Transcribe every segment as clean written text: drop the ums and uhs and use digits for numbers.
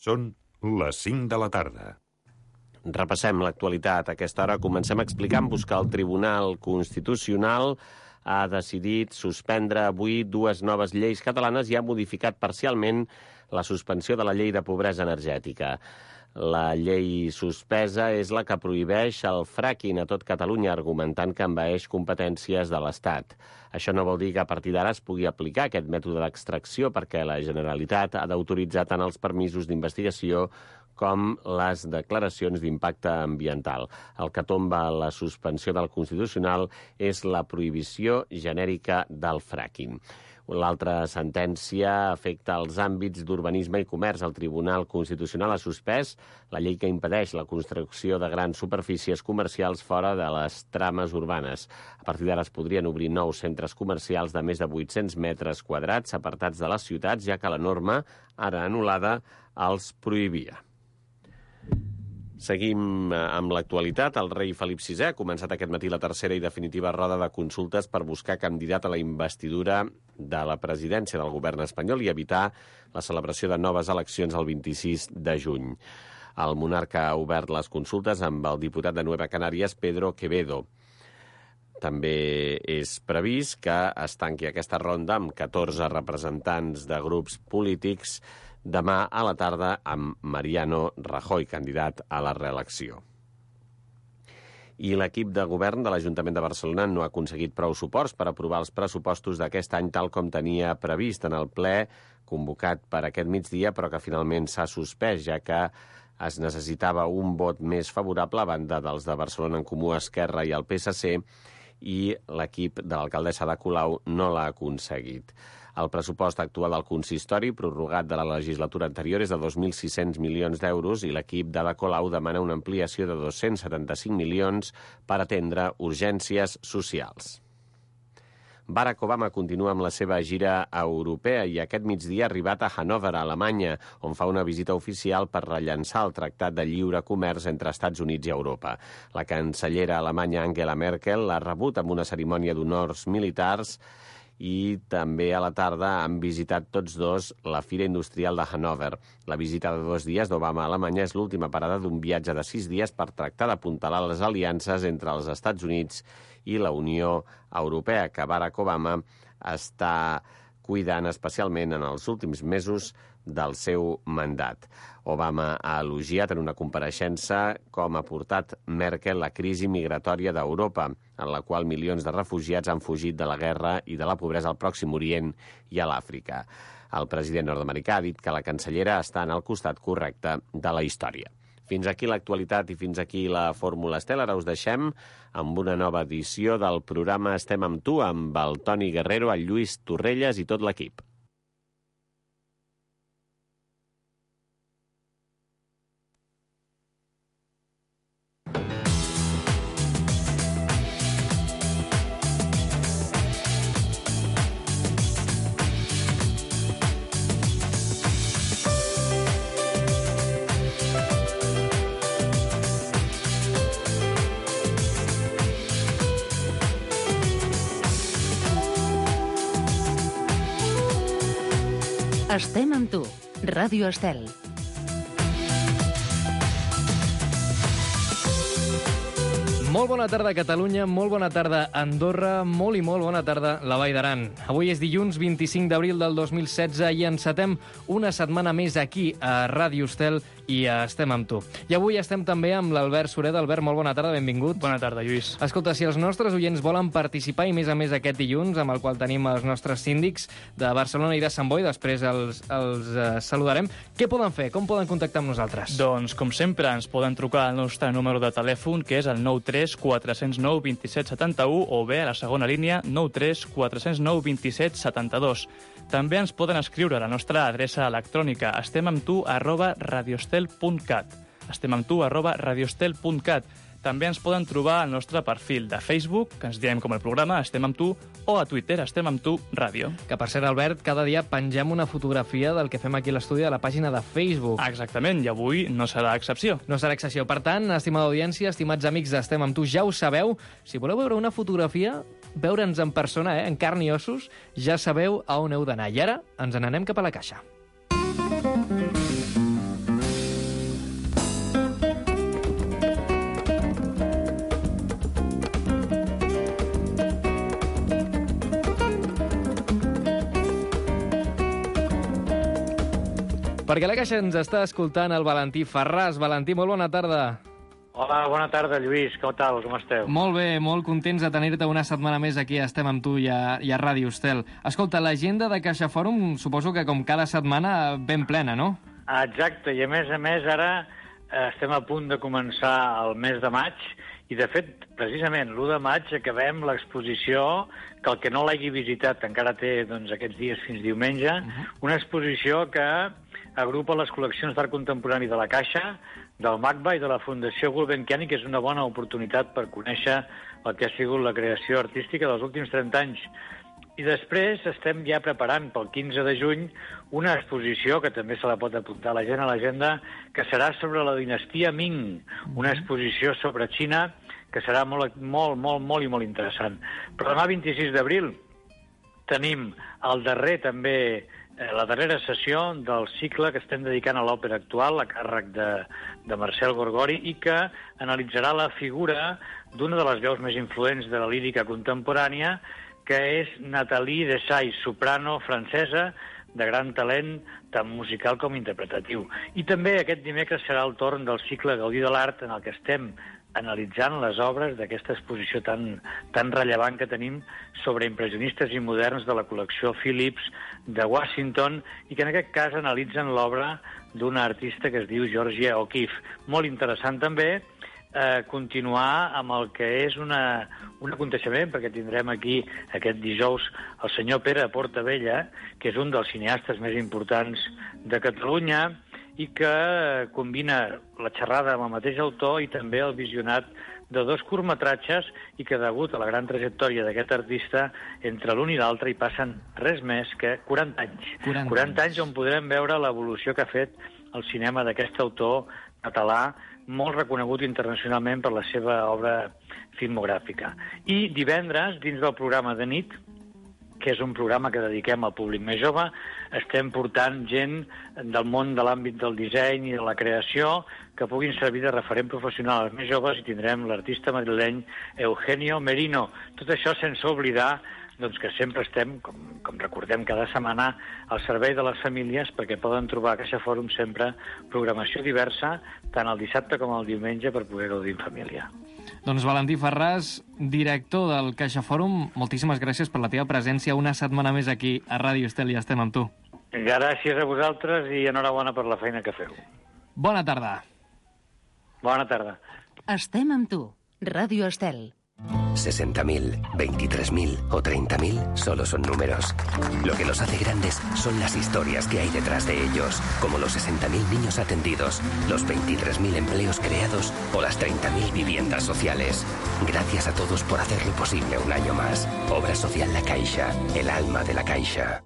Són les 5 de la tarda. Repassem l'actualitat. A aquesta hora comencem explicant-vos que el Tribunal Constitucional ha decidit suspendre avui dues noves lleis catalanes i ha modificat parcialment la suspensió de la llei de pobresa energètica. La llei suspesa és la que prohibeix el fracking a tot Catalunya, argumentant que envaeix competències de l'Estat. Això no vol dir que a partir d'ara es pugui aplicar aquest mètode d'extracció, perquè la Generalitat ha d'autoritzar tant els permisos d'investigació com les declaracions d'impacte ambiental. El que tomba la suspensió del Constitucional és la prohibició genèrica del fracking. L'altra sentència afecta els àmbits d'urbanisme i comerç. El Tribunal Constitucional ha suspès la llei que impedeix la construcció de grans superfícies comercials fora de les trames urbanes. A partir d'ara es podrien obrir nous centres comercials de més de 800 metres quadrats apartats de les ciutats, ja que la norma, ara anul·lada, els prohibia. Seguim amb l'actualitat. El rei Felip VI ha començat aquest matí la tercera i definitiva roda de consultes per buscar candidat a la investidura de la presidència del govern espanyol i evitar la celebració de noves eleccions el 26 de juny. El monarca ha obert les consultes amb el diputat de Nueva Canàries, Pedro Quevedo. També és previst que es tanqui aquesta ronda amb 14 representants de grups polítics demà a la tarda amb Mariano Rajoy, candidat a la reelecció. I l'equip de govern de l'Ajuntament de Barcelona no ha aconseguit prou suports per aprovar els pressupostos d'aquest any tal com tenia previst en el ple convocat per aquest migdia, però que finalment s'ha suspès, ja que es necessitava un vot més favorable a banda dels de Barcelona en Comú, Esquerra i el PSC, i l'equip de l'alcaldessa Ada Colau no l'ha aconseguit. El pressupost actual del consistori, prorrogat de la legislatura anterior, és de 2.600 milions d'euros i l'equip d'Ada Colau demana una ampliació de 275 milions per atendre urgències socials. Barack Obama continua amb la seva gira europea i aquest migdia ha arribat a Hannover, a Alemanya, on fa una visita oficial per rellançar el Tractat de Lliure Comerç entre Estats Units i Europa. La cancellera alemanya Angela Merkel l'ha rebut amb una cerimònia d'honors militars i també a la tarda han visitat tots dos la Fira Industrial de Hannover. La visita de 2 dies d'Obama a Alemanya és l'última parada d'un viatge de 6 dies per tractar d'apuntalar les aliances entre els Estats Units i la Unió Europea, que Barack Obama està cuidant especialment en els últims mesos del seu mandat. Obama ha elogiat en una compareixença com ha portat Merkel la crisi migratòria d'Europa, en la qual milions de refugiats han fugit de la guerra i de la pobresa al Pròxim Orient i a l'Àfrica. El president nord-americà ha dit que la cancellera està en el costat correcte de la història. Fins aquí l'actualitat i fins aquí la Fórmula Estel. Ara us deixem amb una nova edició del programa Estem amb tu, amb el Toni Guerrero, el Lluís Torrelles i tot l'equip. Estem amb tu, Ràdio Estel. Molt bona tarda, Catalunya, molt bona tarda, Andorra, molt i molt bona tarda, la Vall d'Aran. Avui és dilluns 25 d'abril del 2016 i encetem una setmana més aquí a Ràdio Estel i a Estem amb tu. I avui estem també amb l'Albert Sureda. Albert, molt bona tarda, benvingut. Bona tarda, Lluís. Escolta, si els nostres oients volen participar i més a més aquest dilluns, amb el qual tenim els nostres síndics de Barcelona i de Sant Boi, després els saludarem, què poden fer? Com poden contactar amb nosaltres? Doncs, com sempre, ens poden trucar al nostre número de telèfon, que és el 93 409 27 71, o bé a la segona línia 93 409 27 72. També ens poden escriure a la nostra adreça electrònica estemamtu@radiostel.cat. estemamtu@radiostel.cat. També ens poden trobar al nostre perfil de Facebook, que ens diem com el programa Estem amb tu, o a Twitter Estem amb tu Ràdio. Que, per cert, Albert, cada dia pengem una fotografia del que fem aquí a l'estudi a la pàgina de Facebook. Exactament, i avui no serà excepció. No serà excepció. Per tant, estimada audiència, estimats amics d'Estem amb tu, ja ho sabeu. Si voleu veure una fotografia, veure'ns en persona, en carn i ossos, ja sabeu a on heu d'anar. I ara ens n'anem cap a la caixa. Perquè a la Caixa ens està escoltant el Valentí Ferràs. Valentí, molt bona tarda. Hola, bona tarda, Lluís. Com tal? Com esteu? Molt bé, molt contents de tenir-te una setmana més aquí. Estem amb tu i a Ràdio Estel. Escolta, l'agenda de Caixa Fòrum suposo que com cada setmana ben plena, no? Exacte, i a més, ara estem a punt de començar el mes de maig i, de fet, precisament l'1 de maig acabem l'exposició, que el que no l'hagi visitat encara té aquests dies fins diumenge, una exposició que agrupa les col·leccions d'art contemporani de la Caixa, del MACBA i de la Fundació Gulbenkian, que és una bona oportunitat per conèixer el que ha sigut la creació artística dels últims 30 anys. I després estem ja preparant pel 15 de juny una exposició que també se la pot apuntar la gent a l'agenda, que serà sobre la dinastia Ming, una exposició sobre Xina que serà molt interessant. Però demà, 26 d'abril, tenim la darrera sessió del cicle que estem dedicant a l'òpera actual, a càrrec de Marcel Gorgori, i que analitzarà la figura d'una de les veus més influents de la lírica contemporània, que és Nathalie Dessay, soprano francesa, de gran talent tant musical com interpretatiu. I també aquest dimecres serà el torn del cicle Gaudí de l'Art, en el que estem analitzant les obres d'aquesta exposició tan rellevant que tenim sobre impressionistes i moderns de la col·lecció Phillips de Washington, i que en aquest cas analitzen l'obra d'una artista que es diu Georgia O'Keeffe. Molt interessant també continuar amb el que és un aconteixement, perquè tindrem aquí aquest dijous el senyor Pere Portabella, que és un dels cineastes més importants de Catalunya i que combina la xerrada amb el mateix autor i també el visionat de 2 curtmetratges, i que degut a la gran trajectòria d'aquest artista, entre l'un i l'altre hi passen res més que 40 anys. 40 anys on podrem veure l'evolució que ha fet el cinema d'aquest autor català, molt reconegut internacionalment per la seva obra filmogràfica. I divendres, dins del programa de nit, que és un programa que dediquem al públic més jove, estem portant gent del món de l'àmbit del disseny i de la creació que puguin servir de referent professional als més joves, i tindrem l'artista madrileny Eugenio Merino. Tot això sense oblidar que sempre estem, com recordem cada setmana, al servei de les famílies, perquè poden trobar a Caixa Fòrum sempre programació diversa, tant el dissabte com el diumenge, per poder gaudir en família. Doncs Valentí Ferràs, director del Caixa Fòrum, moltíssimes gràcies per la teva presència una setmana més aquí a Ràdio Estel, i estem amb tu. Gràcies a vosaltres i enhorabona per la feina que feu. Bona tarda. Bona tarda. Estem amb tu. Ràdio Estel. 60.000, 23.000 o 30.000 solo son números. Lo que los hace grandes son las historias que hay detrás de ellos, como los 60.000 niños atendidos, los 23.000 empleos creados o las 30.000 viviendas sociales. Gracias a todos por hacerlo posible un año más. Obra Social La Caixa, el alma de la Caixa.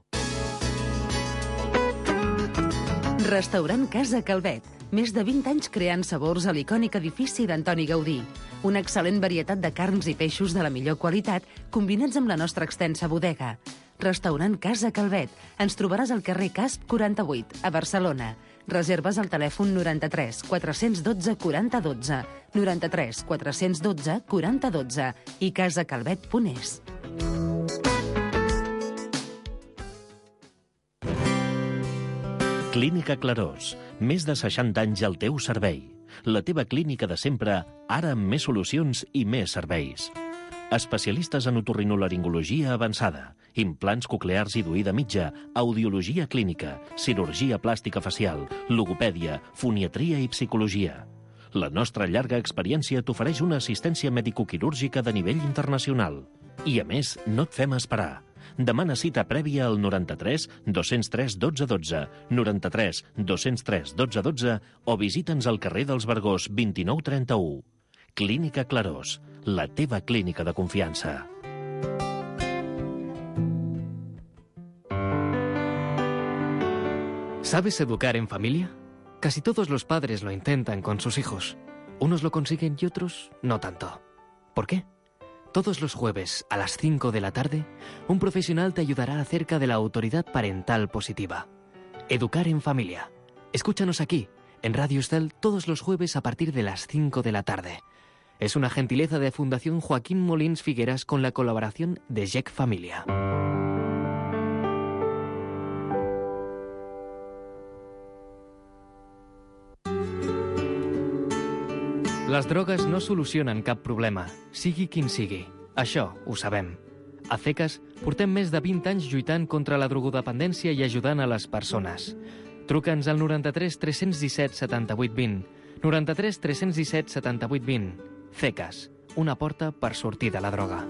Restaurant Casa Calvet. Més de 20 anys creant sabors a l'icònic edifici d'Antoni Gaudí. Una excel·lent varietat de carns i peixos de la millor qualitat, combinats amb la nostra extensa bodega. Restaurant Casa Calvet. Ens trobaràs al carrer Casp 48, a Barcelona. Reserves al telèfon 93 412 40 12, 93 412 40 12 i casacalvet.es. Clínica Clarós. Més de 60 anys al teu servei. La teva clínica de sempre, ara amb més solucions i més serveis. Especialistes en otorrinolaringologia avançada, implants coclears i d'oïda mitja, audiologia clínica, cirurgia plàstica facial, logopèdia, foniatria i psicologia. La nostra llarga experiència t'ofereix una assistència medicoquirúrgica de nivell internacional. I a més, no et fem esperar. Demana cita prèvia al 93 203 12 12, 93 203 12 12 o visita'ns al carrer dels Vergós 29 31. Clínica Clarós, la teva clínica de confianza. ¿Sabes educar en familia? Casi todos los padres lo intentan con sus hijos. Unos lo consiguen y otros no tanto. ¿Por qué? Todos los jueves a las 5 de la tarde, un profesional te ayudará acerca de la autoridad parental positiva. Educar en familia. Escúchanos aquí, en Radio Estel, todos los jueves a partir de las 5 de la tarde. Es una gentileza de Fundación Joaquín Molins Figueras con la colaboración de Jack Familia. Les drogues no solucionen cap problema, sigui quin sigui. Això ho sabem. A CECAS portem més de 20 anys lluitant contra la drogodependència i ajudant a les persones. Truca'ns al 93 317 78 20. 93 317 78 20. CECAS, una porta per sortir de la droga.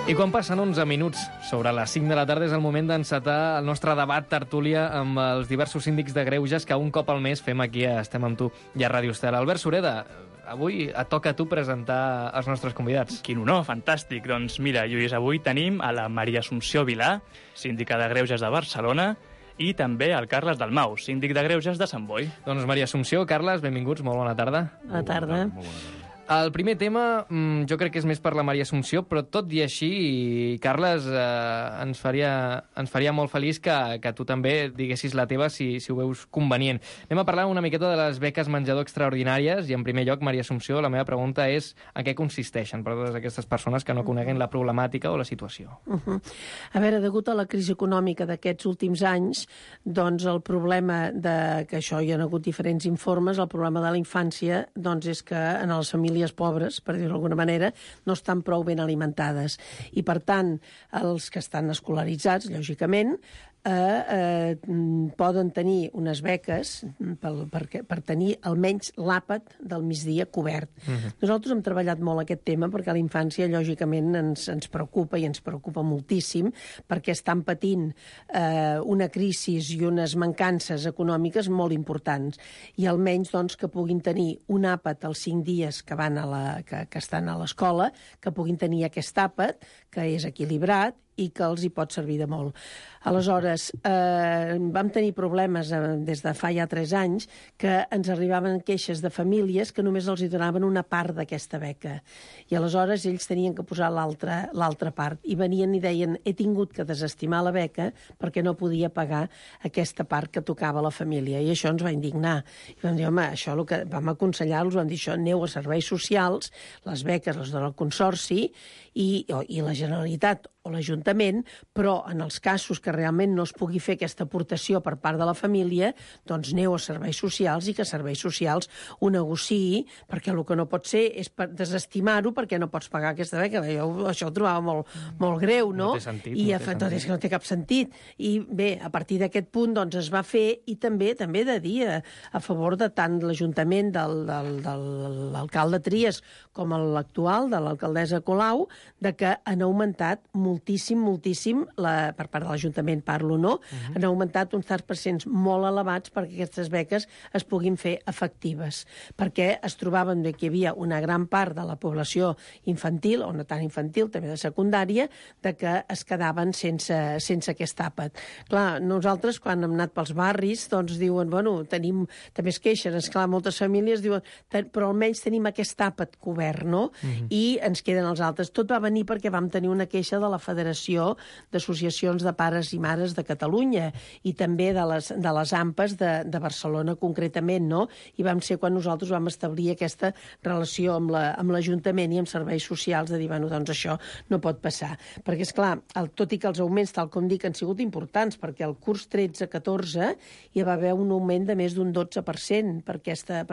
I quan passen 11 minuts sobre les 5 de la tarda és el moment d'encetar el nostre debat tertúlia amb els diversos síndics de greuges que un cop al mes fem aquí a Estem amb tu i a Ràdio Estel. Albert Sureda, avui et toca a tu presentar els nostres convidats. Quin honor, fantàstic. Doncs mira, Lluís, avui tenim a la Maria Assumpció Vilà, síndica de greuges de Barcelona, i també el Carles Dalmau, síndic de greuges de Sant Boi. Doncs Maria Assumpció, Carles, benvinguts, molt bona tarda. Bona tarda. El primer tema jo crec que és més per la Maria Assumpció, però tot i així, Carles, ens faria molt feliç que tu també diguessis la teva si ho veus convenient. Anem a parlar una miqueta de les beques menjador extraordinàries i, en primer lloc, Maria Assumpció, la meva pregunta és en què consisteixen per a totes aquestes persones que no coneguin la problemàtica o la situació. A veure, degut a la crisi econòmica d'aquests últims anys, doncs el problema que això hi ha hagut diferents informes, el problema de la infància doncs és que en les famílies pobres, per dir-ho d'alguna manera, no estan prou ben alimentades. I, per tant, els que estan escolaritzats, lògicament, poden tenir unes beques per tenir almenys l'àpat del migdia cobert. Nosaltres hem treballat molt aquest tema perquè la infància, lògicament, ens preocupa i ens preocupa moltíssim perquè estan patint una crisi i unes mancances econòmiques molt importants. I almenys doncs, que puguin tenir un àpat els 5 dies que estan a l'escola, que puguin tenir aquest àpat, que és equilibrat i que els hi pot servir de molt. Aleshores, vam tenir problemes des de fa ja 3 anys que ens arribaven queixes de famílies que només els hi donaven una part d'aquesta beca. I aleshores ells tenien que posar l'altra part. I venien i deien, he tingut que desestimar la beca perquè no podia pagar aquesta part que tocava a la família. I això ens va indignar. I vam dir, home, això el que vam aconsellar-los, vam dir, això aneu a serveis socials, les beques les dona el Consorci i la Generalitat o l'Ajuntament, però en els casos que realment no es pugui fer aquesta aportació per part de la família, doncs aneu a serveis socials i que serveis socials ho negociï, perquè el que no pot ser és desestimar-ho perquè no pots pagar aquesta beca. Jo això ho trobava molt greu, no? No té sentit. És que no té cap sentit. I bé, a partir d'aquest punt doncs es va fer i també de dir a favor de tant l'Ajuntament de l'alcalde Trias com l'actual, de l'alcaldessa Colau, de que han augmentat moltíssim, per part de l'Ajuntament parlo, no? Han augmentat uns 10% molt elevats perquè aquestes beques es puguin fer efectives. Perquè es trobaven que hi havia una gran part de la població infantil, o no tan infantil, també de secundària, de que es quedaven sense aquest àpat. Clar, nosaltres, quan hem anat pels barris, doncs diuen, bueno, tenim, també es queixen, esclar, moltes famílies diuen, però almenys tenim aquest àpat cobert, no? I ens queden els altres. Tot va venir perquè vam tenir una queixa de la Federació d'Associacions de Pares i Mares de Catalunya i també de les AMPAs de Barcelona concretament, no? I vam ser quan nosaltres vam establir aquesta relació amb l'Ajuntament i amb serveis socials de dir, bueno, doncs això no pot passar. Perquè, esclar, tot i que els augments, tal com dic, han sigut importants, perquè el curs 13-14 hi va haver un augment de més d'un 12% per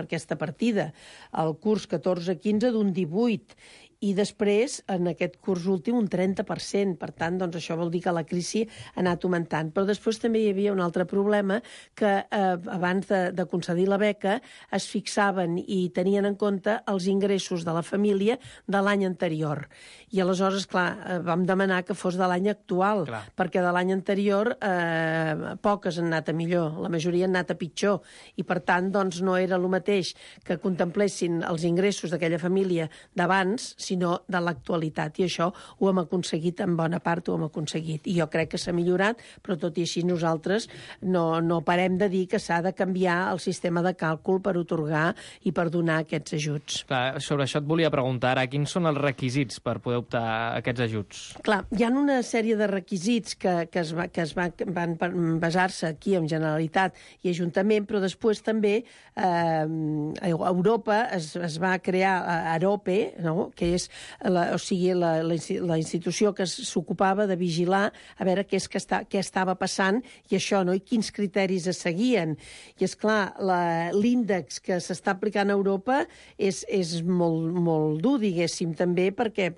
aquesta partida. El curs 14-15 d'un 18%. I després, en aquest curs últim, un 30%. Per tant, doncs, això vol dir que la crisi ha anat augmentant. Però després també hi havia un altre problema, que abans de concedir la beca es fixaven i tenien en compte els ingressos de la família de l'any anterior. I aleshores, clar, vam demanar que fos de l'any actual, perquè de l'any anterior poques han anat a millor, la majoria han anat a pitjor. I, per tant, doncs, no era el mateix que contemplessin els ingressos d'aquella família d'abans, sinó de l'actualitat. I això ho hem aconseguit, en bona part ho hem aconseguit. I jo crec que s'ha millorat, però tot i així nosaltres no parem de dir que s'ha de canviar el sistema de càlcul per otorgar i per donar aquests ajuts. Clar, sobre això et volia preguntar ara, quins són els requisits per poder optar a aquests ajuts? Clar, hi ha una sèrie de requisits que van basar-se aquí en Generalitat i Ajuntament, però després també a Europa es va crear AROPE, no? Que és la institució que s'ocupava de vigilar a veure què estava passant i això, no? I quins criteris es seguien. I, esclar, l'índex que s'està aplicant a Europa és molt dur, diguéssim, també perquè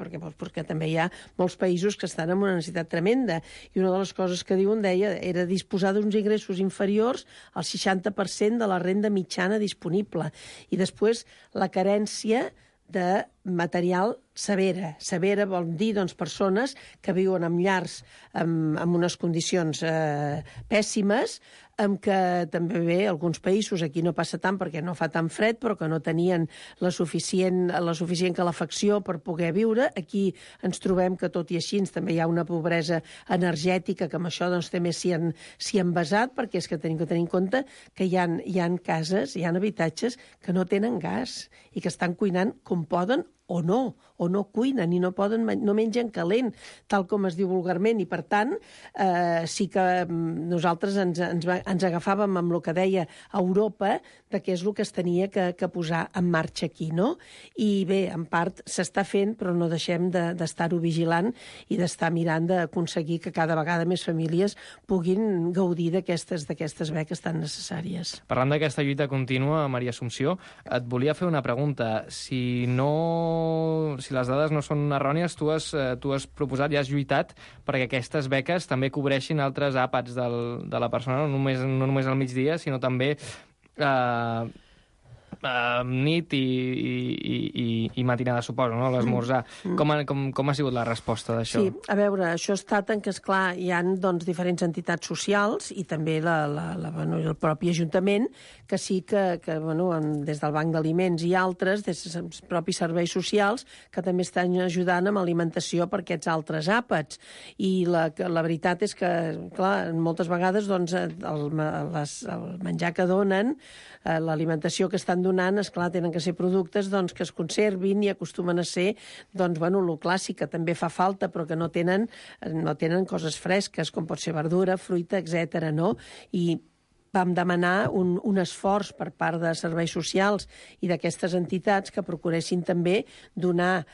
també hi ha molts països que estan en una necessitat tremenda. I una de les coses que diuen, era disposar d'uns ingressos inferiors al 60% de la renda mitjana disponible. I després la carència de material severa. Severa vol dir, doncs, persones que viuen en llars amb unes condicions pèssimes, amb què també bé alguns països, aquí no passa tant perquè no fa tan fred, però que no tenien la suficient calefacció per poder viure. Aquí ens trobem que, tot i així, també hi ha una pobresa energètica que amb això doncs, també s'hi han basat, perquè és que tenim que tenir en compte que hi ha cases, hi ha habitatges que no tenen gas i que estan cuinant com poden o no cuinen i no mengen calent, tal com es diu vulgarment, i per tant sí que nosaltres ens agafàvem amb el que deia Europa, de què és el que es tenia que posar en marxa aquí, no? I bé, en part s'està fent, però no deixem d'estar-ho vigilant i d'estar mirant d'aconseguir que cada vegada més famílies puguin gaudir d'aquestes beques tan necessàries. Parlant d'aquesta lluita contínua, Maria Assumpció, et volia fer una pregunta. Si les dades no són errònies, tu has proposat i has lluitat perquè aquestes beques també cobreixin altres àpats de la persona, no només al migdia, sinó també nit i matinada, suposo, no? L'esmorzar. Com ha sigut la resposta d'això? Sí, a veure, això ha estat en què, esclar, hi ha diferents entitats socials i també el propi Ajuntament, que sí que des del Banc d'Aliments i altres, des dels propis serveis socials, que també estan ajudant amb alimentació per aquests altres àpats. I la veritat és que, clar, moltes vegades el menjar que donen, l'alimentació que estan donant, esclar, tenen que ser productes que es conservin i acostumen a ser, el clàssic, que també fa falta, però que no tenen coses fresques, com pot ser verdura, fruita, etc. no? I vam demanar un esforç per part de serveis socials i d'aquestes entitats que procuressin també donar,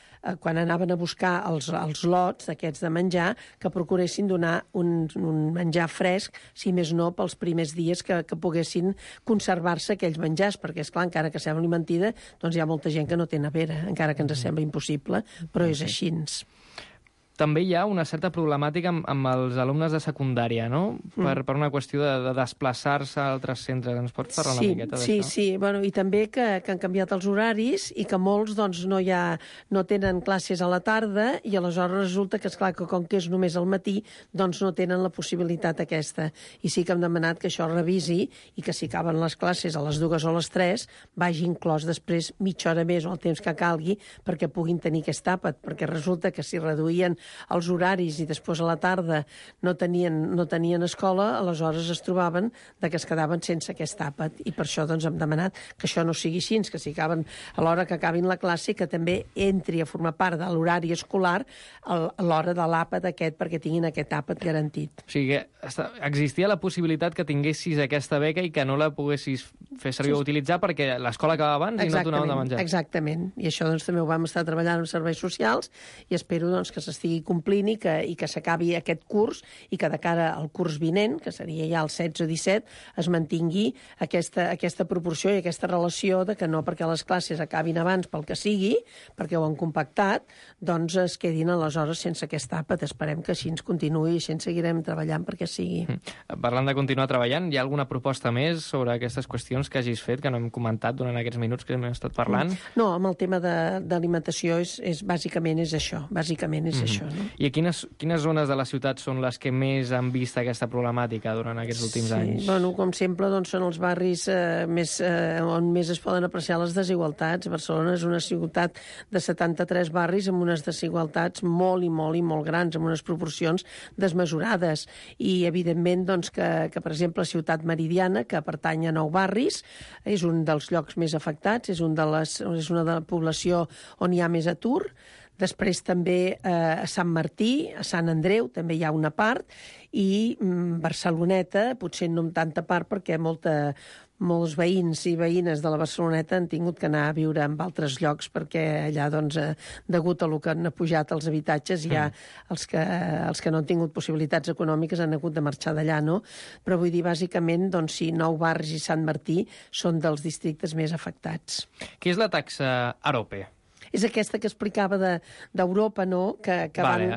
quan anaven a buscar els lots d'aquests de menjar, que procuressin donar un menjar fresc, si més no, pels primers dies que poguessin conservar-se aquells menjars, perquè, esclar, encara que sembli mentida, doncs hi ha molta gent que no té nevera, encara que ens sembla impossible, però és així. També hi ha una certa problemàtica amb els alumnes de secundària, no? Per una qüestió de desplaçar-se a altres centres. Ens pots parlar una miqueta d'això? Sí. Bueno, i també que han canviat els horaris i que molts no tenen classes a la tarda i aleshores resulta que, esclar, que com que és només al matí, doncs no tenen la possibilitat aquesta. I sí que hem demanat que això revisi i que si acaben les classes a les 2 o a les 3 vagi inclòs després mitja hora més o el temps que calgui perquè puguin tenir aquest àpat, perquè resulta que si reduïen els horaris i després a la tarda no tenien escola, aleshores es trobaven que es quedaven sense aquest àpat. I per això hem demanat que això no sigui així, que si acaben a l'hora que acabin la classe, que també entri a formar part de l'horari escolar a l'hora de l'àpat aquest, perquè tinguin aquest àpat garantit. O sigui que existia la possibilitat que tinguessis aquesta beca i que no la poguessis fer servir o utilitzar perquè l'escola acaba abans i no et donaven de menjar. Exactament. I això també ho vam estar treballant amb serveis socials i espero que s'estigui complint i que s'acabi aquest curs i que de cara al curs vinent, que seria ja el 16-17, es mantingui aquesta proporció i aquesta relació de que no perquè les classes acabin abans pel que sigui, perquè ho han compactat, doncs es quedin aleshores sense aquest àpat. Esperem que així ens continuï i així ens seguirem treballant perquè sigui. Parlant de continuar treballant, hi ha alguna proposta més sobre aquestes qüestions que hagis fet, que no hem comentat durant aquests minuts que hem estat parlant? No, amb el tema d'alimentació bàsicament és això. Bàsicament és això. això, no? I quines zones de la ciutat són les que més han vist aquesta problemàtica durant aquests últims anys? Bueno, com sempre, doncs, són els barris on més es poden apreciar les desigualtats. Barcelona és una ciutat de 73 barris amb unes desigualtats molt i molt grans, amb unes proporcions desmesurades. I, evidentment, doncs, que per exemple, Ciutat Meridiana, que pertany a 9 barris, és un dels llocs més afectats, és una de la població on hi ha més atur. Després també a Sant Martí, a Sant Andreu, també hi ha una part, i Barceloneta, potser no en tanta part, perquè molts veïns i veïnes de la Barceloneta han tingut que anar a viure en altres llocs, perquè allà, doncs, degut a lo que han pujat els habitatges, ja els que no han tingut possibilitats econòmiques han hagut de marxar d'allà, no? Però vull dir, bàsicament, doncs sí, 9 barris i Sant Martí són dels districtes més afectats. Què és la taxa Arope? És aquesta que explicava d'Europa, no? Que van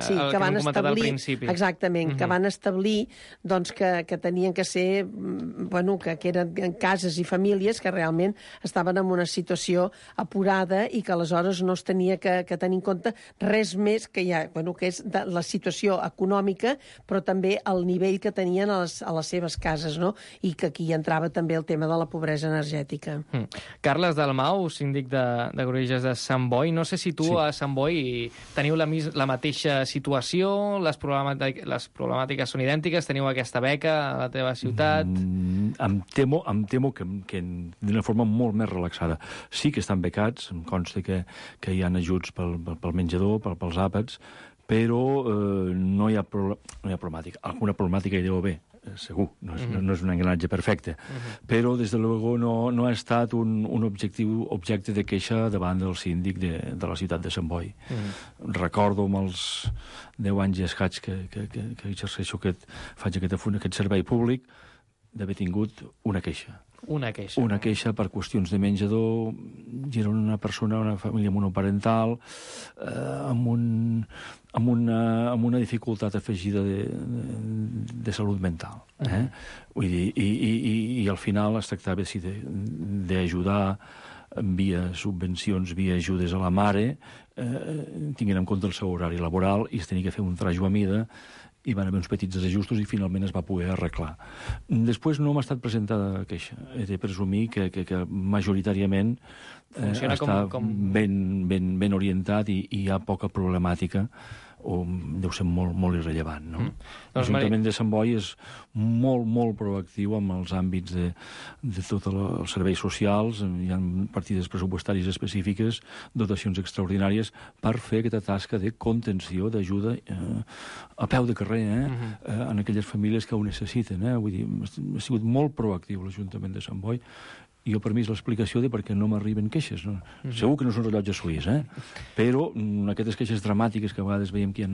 establir... Exactament, que van establir doncs, que tenien que ser... Bueno, que eren cases i famílies que realment estaven en una situació apurada i que aleshores no es tenia que tenir en compte res més que que és la situació econòmica, però també el nivell que tenien a les seves cases, no? I que aquí entrava també el tema de la pobresa energètica. Carles Dalmau, síndic de Granollers de Sant Boi. No sé si tu a Sant Boi teniu la mateixa situació, les problemàtiques són idèntiques, teniu aquesta beca a la teva ciutat? Em temo que d'una forma molt més relaxada. Sí que estan becats, em consta que hi ha ajuts pel menjador, pels àpats, però no hi ha problemàtica. Alguna problemàtica hi deu haver, segur, no és un engranatge perfecte, però des de luego no ha estat un objecte de queixa davant del síndic de la ciutat de Sant Boi. Recordo amb els 10 anys i escaig que exerceixo faig aquest servei públic d'haver tingut una queixa. Una queixa per qüestions de menjador. I era una família monoparental, amb una dificultat afegida de salut mental. Vull dir, i al final es tractava d'ajudar via subvencions, via ajudes a la mare, tinguent en compte el seu horari laboral, i es tenia que fer un trajo a mida, hi van haver uns petits desajustos i finalment es va poder arreglar. Després no m'ha estat presentada queixa. He de presumir que majoritàriament està ben orientat i hi ha poca problemàtica, o deu ser molt irrellevant, no? L'Ajuntament de Sant Boi és molt proactiu amb els àmbits de tots els serveis socials. Hi ha partides pressupostàries específiques, dotacions extraordinàries per fer aquesta tasca de contenció, d'ajuda a peu de carrer, en aquelles famílies que ho necessiten. Vull dir, ha sigut molt proactiu l'Ajuntament de Sant Boi. I jo, per mi, és l'explicació de per què no m'arriben queixes. No? Segur que no són rellotges suís, però aquestes queixes dramàtiques que a vegades veiem que hi ha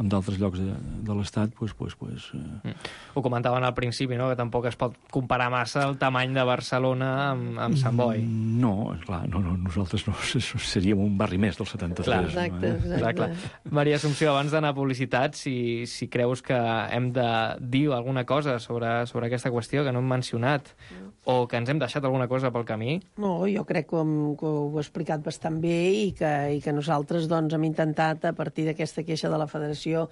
en d'altres llocs de l'Estat, Ho comentaven al principi, no?, que tampoc es pot comparar massa el tamany de Barcelona amb Sant Boi. No, clar, nosaltres no, seríem un barri més del 73. Exacte. Maria Assumpció, abans d'anar a publicitat, si creus que hem de dir alguna cosa sobre aquesta qüestió que no hem mencionat, o que ens hem deixat alguna cosa pel camí? No, jo crec que ho he explicat bastant bé i que nosaltres doncs, hem intentat, a partir d'aquesta queixa de la Federació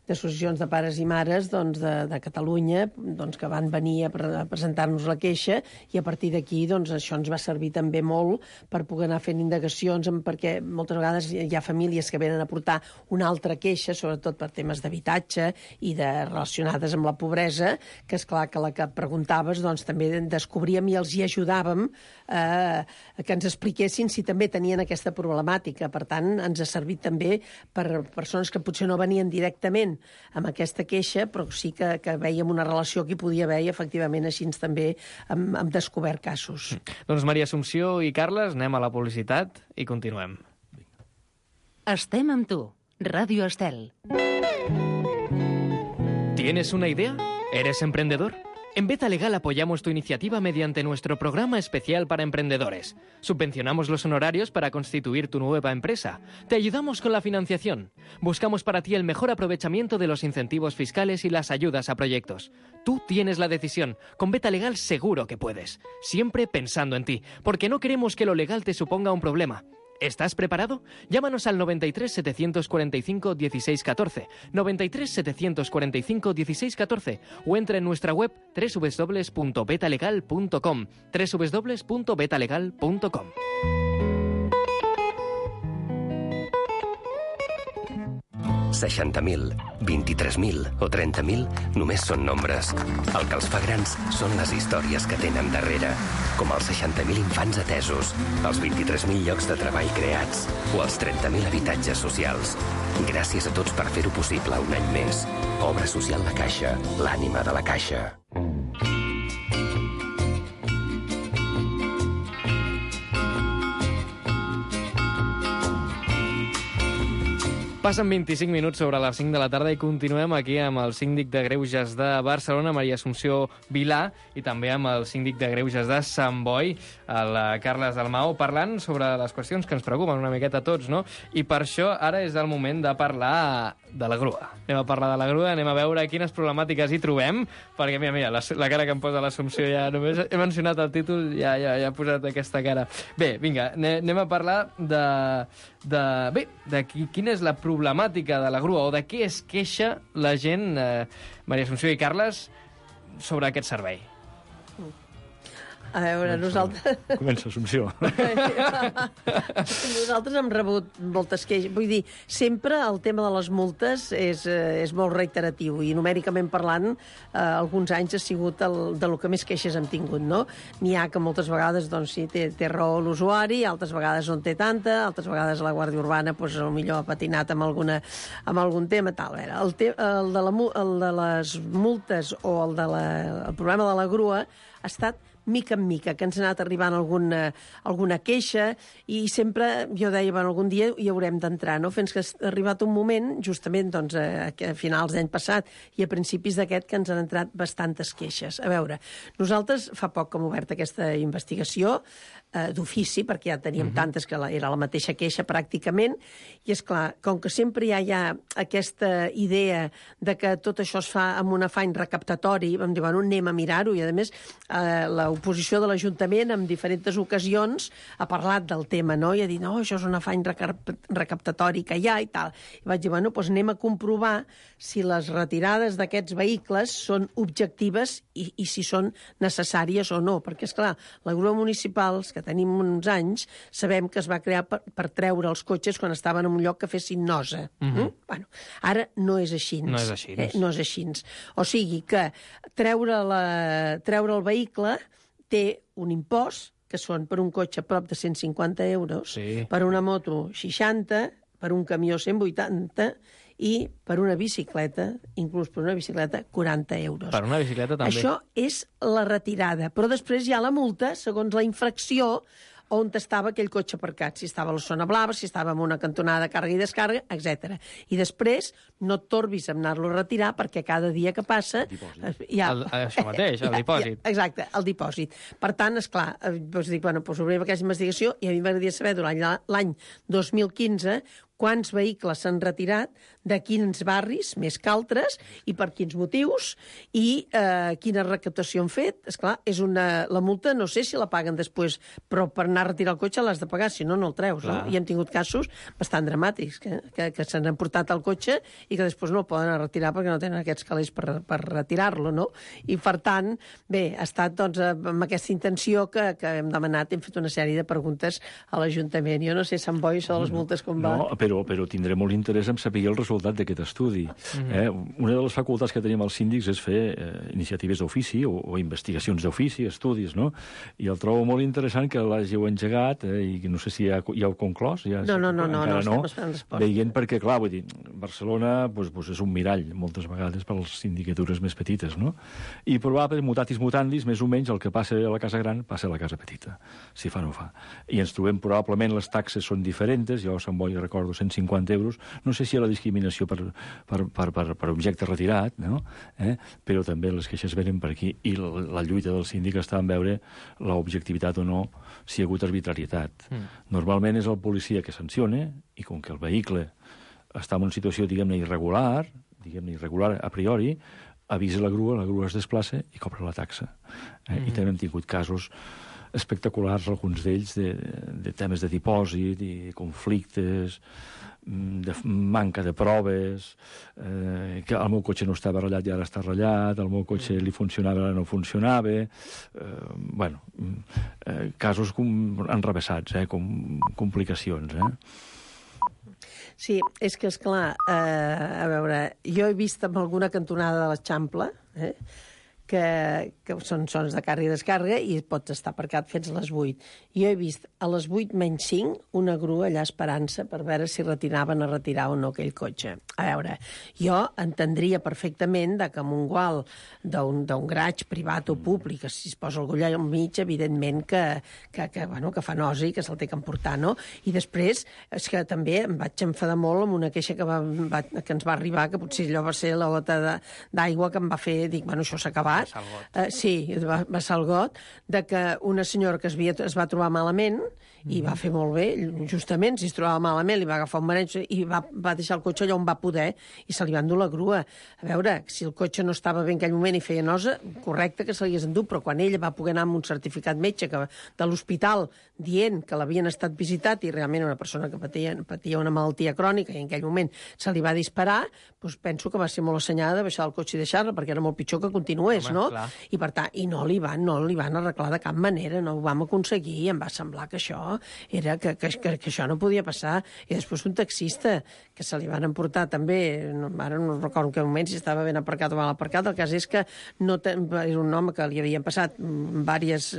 d'associacions de pares i mares de Catalunya, que van venir a presentar-nos la queixa, i a partir d'aquí això ens va servir també molt per poder anar fent indagacions, perquè moltes vegades hi ha famílies que venen a portar una altra queixa, sobretot per temes d'habitatge i relacionades amb la pobresa, que és clar que la que preguntaves també descobríem i els hi ajudàvem que ens expliquessin si també tenien aquesta problemàtica. Per tant, ens ha servit també per persones que potser no venien directament amb aquesta queixa, però sí que veiem una relació que hi podia haver i efectivament així també hem descobert casos. Doncs Maria Assumpció i Carles, anem a la publicitat i continuem. Estem amb tu. Ràdio Estel. ¿Tienes una idea? ¿Eres emprendedor? En Beta Legal apoyamos tu iniciativa mediante nuestro programa especial para emprendedores. Subvencionamos los honorarios para constituir tu nueva empresa. Te ayudamos con la financiación. Buscamos para ti el mejor aprovechamiento de los incentivos fiscales y las ayudas a proyectos. Tú tienes la decisión. Con Beta Legal seguro que puedes. Siempre pensando en ti, porque no queremos que lo legal te suponga un problema. ¿Estás preparado? Llámanos al 93 745 1614, 93 745 1614 o entra en nuestra web www.betalegal.com, www.betalegal.com. $60.000, $23.000 o $30.000 només són nombres. El que els fa grans són les històries que tenen darrere, com els 60.000 infants atesos, els 23.000 llocs de treball creats o els 30.000 habitatges socials. Gràcies a tots per fer-ho possible un any més. Obra social La Caixa, l'ànima de la Caixa. Passen 25 minuts sobre les 5 de la tarda i continuem aquí amb el síndic de Greuges de Barcelona, Maria Assumpció Vilà, i també amb el síndic de Greuges de Sant Boi, el Carles Dalmau, parlant sobre les qüestions que ens preocupen una miqueta a tots, no? I per això ara és el moment de parlar de la grua. Anem a parlar de la grua, anem a veure quines problemàtiques hi trobem, perquè, mira, la cara que em posa l'Assumpció, ja només he mencionat el títol, ja ha posat aquesta cara. Bé, vinga, anem a parlar de quina és la problemàtica de la grua o de què es queixa la gent, Maria Assumpció i Carles, sobre aquest servei. A veure, nosaltres... Comença, Assumpció. Nosaltres hem rebut moltes queixes. Vull dir, sempre el tema de les multes és molt reiteratiu i numèricament parlant, alguns anys ha sigut de lo que més queixes hem tingut, no? N'hi ha que moltes vegades, doncs sí, té raó l'usuari, altres vegades no en té tanta, altres vegades la Guàrdia Urbana, doncs, potser ha patinat amb algun tema, tal. El de les multes o el problema de la grua ha estat mica en mica, que ens ha anat arribant alguna queixa i sempre jo deia, bueno, algun dia hi haurem d'entrar, no? Fins que ha arribat un moment, justament doncs, a finals d'any passat i a principis d'aquest, que ens han entrat bastantes queixes. A veure, nosaltres fa poc que hem obert aquesta investigació d'ofici, perquè ja teníem tantes que era la mateixa queixa pràcticament, i és clar, com que sempre hi ha aquesta idea de que tot això es fa amb un afany recaptatori, vam dir, bueno, anem a mirar-ho, i a més l'oposició de l'Ajuntament en diferents ocasions ha parlat del tema, no? I ha dit, no, això és un afany recaptatori que hi ha i tal. I vaig dir, bueno, doncs anem a comprovar si les retirades d'aquests vehicles són objectives i si són necessàries o no, perquè, esclar, la grua municipal, que tenim uns anys, sabem que es va crear per treure els cotxes quan estaven en un lloc que fessin nosa. Bueno, ara no és així. No és així. No és així. O sigui que treure el vehicle té un impost, que són per un cotxe prop de 150 euros, sí. Per una moto 60, per un camió 180 i per una bicicleta, inclús per una bicicleta, 40 euros. Per una bicicleta també. Això és la retirada, però després hi ha la multa segons la infracció on estava aquell cotxe aparcat, si estava a la zona blava, si estava en una cantonada de càrrega i descàrrega, etc. I després no et torbis a anar-lo a retirar perquè cada dia que passa... Això mateix, el dipòsit. Exacte, el dipòsit. Per tant, esclar, dic, bueno, doncs obrim aquesta investigació i a mi m'agradaria saber durant l'any 2015 quants vehicles s'han retirat, de quins barris, més que altres, i per quins motius, i quina recaptació han fet. Esclar, la multa no sé si la paguen després, però per anar a retirar el cotxe l'has de pagar, si no, no el treus. No? I hem tingut casos bastant dramàtics, que s'han emportat el cotxe i que després no el poden retirar perquè no tenen aquests calés per retirar-lo, no? I, per tant, bé, ha estat doncs, amb aquesta intenció que hem demanat, hem fet una sèrie de preguntes a l'Ajuntament. Jo no sé, Sant Boi, això de les multes com va... No, però tindré molt interès en saber el resultat d'aquest estudi. Una de les facultats que tenim els síndics és fer iniciatives d'ofici o investigacions d'ofici, estudis, no? I el trobo molt interessant que l'hàgiu engegat i no sé si ja heu conclòs. No, estem esperant resposta. Veient perquè, clar, vull dir, Barcelona és un mirall, moltes vegades, per les sindicatures més petites, no? I probablement, mutatis mutandis, més o menys, el que passa a la casa gran passa a la casa petita, si fa no fa. I ens trobem, probablement, les taxes són diferents, jo a Sant Boi recordo 150 euros, no sé si hi ha la discriminació per objecte retirat, no? Però també les queixes venen per aquí, i la lluita del síndic està en veure l'objectivitat o no, si hi ha hagut arbitrarietat. Normalment és el policia que sanciona, i com que el vehicle està en una situació, diguem-ne, irregular a priori, avisa la grua es desplaça i cobra la taxa. I també hem tingut casos espectaculars, alguns d'ells, de temes de dipòsit i conflictes, de manca de proves, que el meu cotxe no estava ratllat i ara està ratllat, el meu cotxe li funcionava i ara no funcionava, casos enrevessats, complicacions, Sí, és que, esclar, a veure, jo he vist amb alguna cantonada de l'Eixample, que són sons de càrrega i descàrrega i pots estar aparcat fins a les 8. Jo he vist a les 8 menys 5 una grua allà esperant-se per veure si retiraven a retirar o no aquell cotxe. A veure, jo entendria perfectament que amb un gual d'un garatge privat o públic, que si es posa algú allà al mig, evidentment que fa nosa i que se'l té que emportar, no? I després, és que també em vaig enfadar molt amb una queixa que ens va arribar, que potser allò va ser la gota d'aigua que em va fer, dic, bueno, això s'ha acabat. Sí, va ser el got, de que una senyora que es va trobar malament i va fer molt bé, justament, si es trobava malament, li va agafar un mareig i va deixar el cotxe allà on va poder i se li va endur la grua. A veure, si el cotxe no estava bé en aquell moment i feia nosa, correcte que se l'hagués endut, però quan ella va poder anar amb un certificat metge de l'hospital dient que l'havien estat visitat i realment una persona que patia una malaltia crònica i en aquell moment se li va disparar, doncs penso que va ser molt assenyada de baixar el cotxe i deixar-la, perquè era molt pitjor que continués, no? Clar. I per tant, no li van arreglar de cap manera, no ho vam aconseguir, i em va semblar que això era que això no podia passar. I després un taxista que se li van emportar també, ara no recordo en quin moment si estava ben aparcat o mal aparcat, el cas és que era un home que li havien passat diverses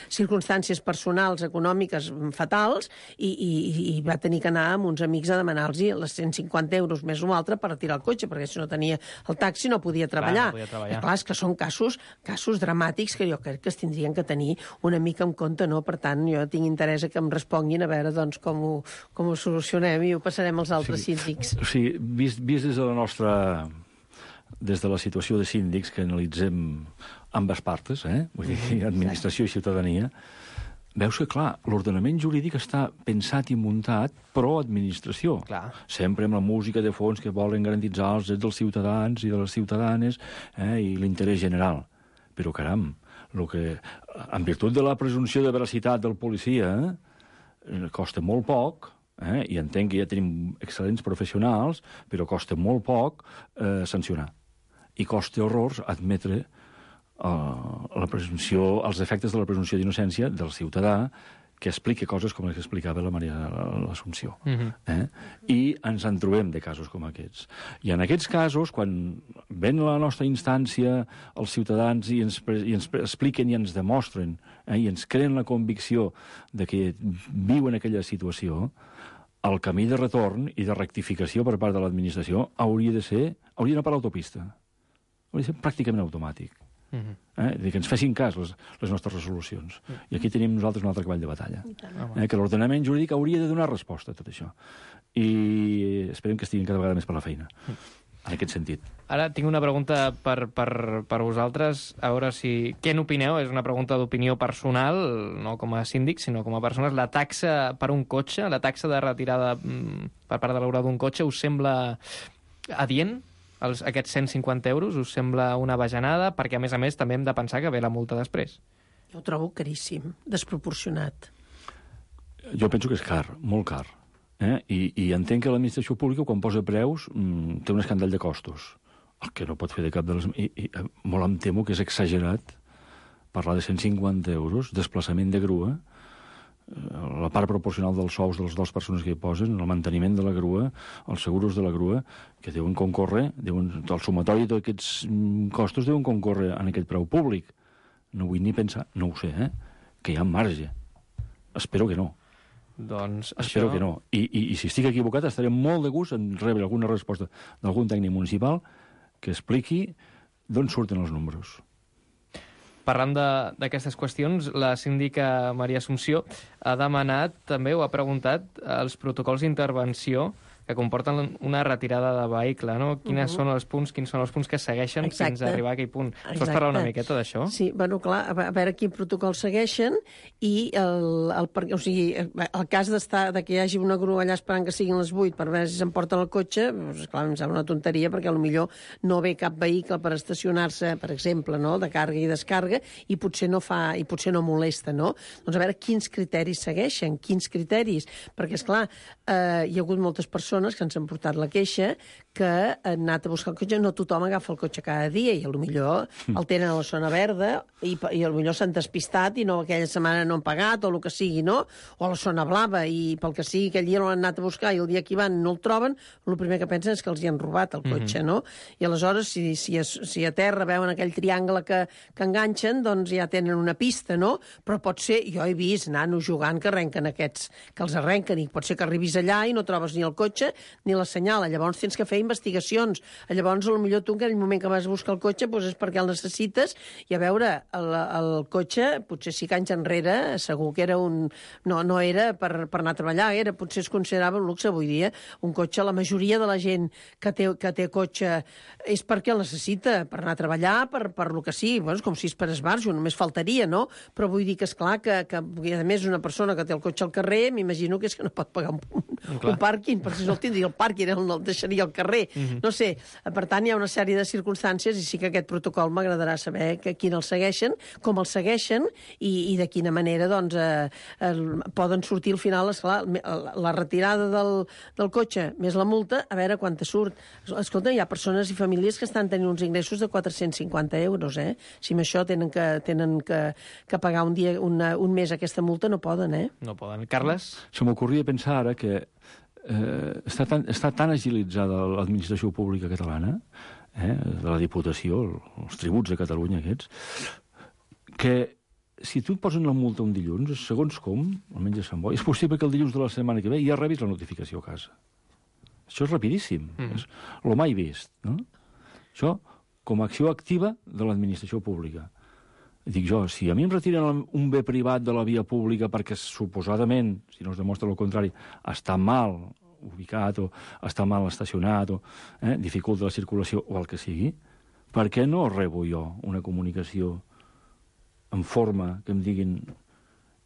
circumstàncies personals, econòmiques fatals, i va tenir que anar amb uns amics a demanar-los les 150 euros més un altre per retirar el cotxe, perquè si no tenia el taxi no podia treballar. Clar, és que són casos dramàtics que jo crec que es tindrien que tenir una mica en compte, no? Per tant, jo tinc interès que em responguin a veure doncs, com ho solucionem i ho passarem als altres síndics. O sigui, vist des de la nostra... des de la situació de síndics que analitzem ambes partes, vull dir, administració i ciutadania, veus que, clar, l'ordenament jurídic està pensat i muntat pro-administració. Clar. Sempre amb la música de fons que volen garantitzar els drets dels ciutadans i de les ciutadanes i l'interès general. Però, caram, en virtut de la presumpció de veracitat del policia, costa molt poc, i entenc que ja tenim excel·lents professionals, però costa molt poc sancionar. I costa horrors admetre els efectes de la presumpció d'innocència del ciutadà que explica coses com les que explicava la Maria l'Assumpció. I ens en trobem de casos com aquests. I en aquests casos, quan ven la nostra instància els ciutadans i ens expliquen i ens demostren i ens creen la convicció de que viuen aquella situació, el camí de retorn i de rectificació per part de l'administració hauria d'anar per l'autopista. Hauria de ser pràcticament automàtic. Que ens fessin cas les nostres resolucions. I aquí tenim nosaltres un altre cavall de batalla. Que l'ordenament jurídic hauria de donar resposta a tot això. I esperem que estiguin cada vegada més per la feina, en aquest sentit. Ara tinc una pregunta per vosaltres, a veure si... Què n'opineu? És una pregunta d'opinió personal, no com a síndic, sinó com a persones. La taxa per un cotxe, la taxa de retirada per part de l'obra d'un cotxe, us sembla adient? Aquests 150 euros us sembla una bajanada? Perquè, a més, també hem de pensar que ve la multa després. Jo ho trobo caríssim, desproporcionat. Jo penso que és car, molt car. I entenc que l'administració pública, quan posa preus, té un escàndol de costos. El que no pot fer de cap de les... I molt em temo que és exagerat parlar de 150 euros, desplaçament de grua, la part proporcional dels sous de les dues persones que hi posen, el manteniment de la grua, els seguros de la grua, que deuen concórrer, el sumatori d'aquests costos deuen concórrer en aquest preu públic. No vull ni pensar, no ho sé, que hi ha marge. Espero que no. Doncs espero que no. I si estic equivocat, estaré molt de gust en rebre alguna resposta d'algun tècnic municipal que expliqui d'on surten els números. Parlant d'aquestes qüestions, la síndica Maria Assumpció ha demanat també, o ha preguntat, els protocols d'intervenció que comporten una retirada de vehicle, no? Quins són els punts que segueixen fins a arribar a aquell punt. Ens pots parlar una miqueta d'això? Sí, bueno, clar, a veure quin protocol segueixen i el cas de que hi hagi una grua allà esperant que siguin les 8 per veure si s'emporten el cotxe, doncs, clar, em sembla una tonteria, perquè potser no ve cap vehicle per estacionar-se, per exemple, no?, de càrrega i descàrrega, i potser no molesta, no? Doncs a veure quins criteris segueixen, quins criteris, perquè, esclar, hi ha hagut moltes persones que ens han portat la queixa que han anat a buscar el cotxe, no tothom agafa el cotxe cada dia, i potser el tenen a la zona verda, i potser s'han despistat i aquella setmana no han pagat, o el que sigui, no? O a la zona blava, i pel que sigui, aquell dia no l'han anat a buscar i el dia que hi van no el troben, el primer que pensen és que els hi han robat el cotxe, no? I aleshores, si a terra veuen aquell triangle que enganxen, doncs ja tenen una pista, no? Però pot ser, jo he vist nanos jugant que arrenquen aquests, que els arrenquen, i pot ser que arribis allà i no trobes ni el cotxe ni la senyala. Llavors tens que fer investigacions. Llavors, potser tu en aquell moment que vas a buscar el cotxe és perquè el necessites, i a veure, el cotxe, potser 5 anys enrere, segur que era no era per anar a treballar, potser es considerava un luxe. Avui dia, un cotxe, la majoria de la gent que té cotxe és perquè el necessita, per anar a treballar, per lo que sigui. Bueno, és com si és per esbarjo, només faltaria, no? Però vull dir que, esclar, que a més una persona que té el cotxe al carrer, m'imagino que és que no pot pagar un pàrquing, perquè si no el tindria el pàrquing, no el deixaria al carrer. No sé, per tant, hi ha una sèrie de circumstàncies, i sí que aquest protocol m'agradarà saber quin el segueixen, com el segueixen, i de quina manera, doncs, poden sortir al final, esclar, la retirada del cotxe més la multa, a veure quanta surt. Escolta, hi ha persones i famílies que estan tenint uns ingressos de 450 euros, eh? Si amb això tenen que pagar un mes aquesta multa, no poden, eh? No poden. Carles? Se m'ocorria pensar ara que està tan agilitzada l'administració pública catalana, de la Diputació, els tributs de Catalunya aquests, que si tu et posen la multa un dilluns, segons com, almenys a Sant Boi, és possible que el dilluns de la setmana que ve ja rebis la notificació a casa. Això és rapidíssim. És lo mai vist, no? Això com a acció activa de l'administració pública. Dic jo, si a mi em retiren un bé privat de la via pública perquè suposadament, si no es demostra el contrari, està mal ubicat o està mal estacionat o dificulta la circulació o el que sigui, per què no rebo jo una comunicació en forma que em diguin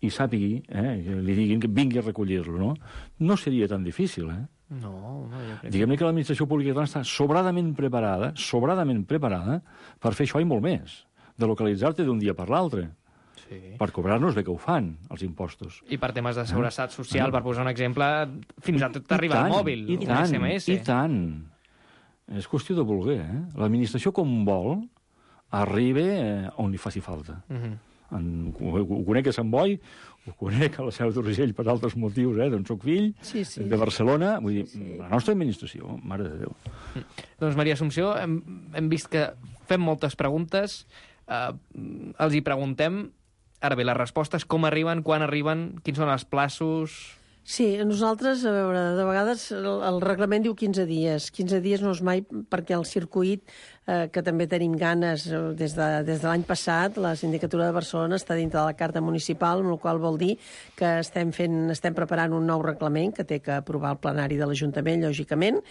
i sàpigui, que li diguin que vingui a recollir-lo, no? No seria tan difícil, No, jo crec. Diguem-ne que l'administració pública catalana està sobradament preparada per fer això i molt més, de localitzar-te d'un dia per l'altre. Sí. Per cobrar-nos bé que ho fan, els impostos. I per temes de seguretat social, per posar un exemple, fins a tot arribar al mòbil, un SMS. I tant. És qüestió de voler, L'administració, com vol, arriba on li faci falta. Ho conec a Sant Boi, ho conec a la Seu d'Urgell per altres motius, d'on soc fill, de Barcelona. Vull dir, la nostra administració, mare de Déu. Doncs, Maria Assumpció, hem vist que fem moltes preguntes, els hi preguntem, ara bé, les respostes, com arriben, quan arriben, quins són els plaços... Sí, nosaltres, a veure, de vegades el reglament diu 15 dies. 15 dies no és mai, perquè el circuit, que també tenim ganes des de l'any passat, la Sindicatura de Barcelona està dintre de la Carta Municipal, amb la qual vol dir que estem preparant un nou reglament que té que aprovar el plenari de l'Ajuntament, lògicament,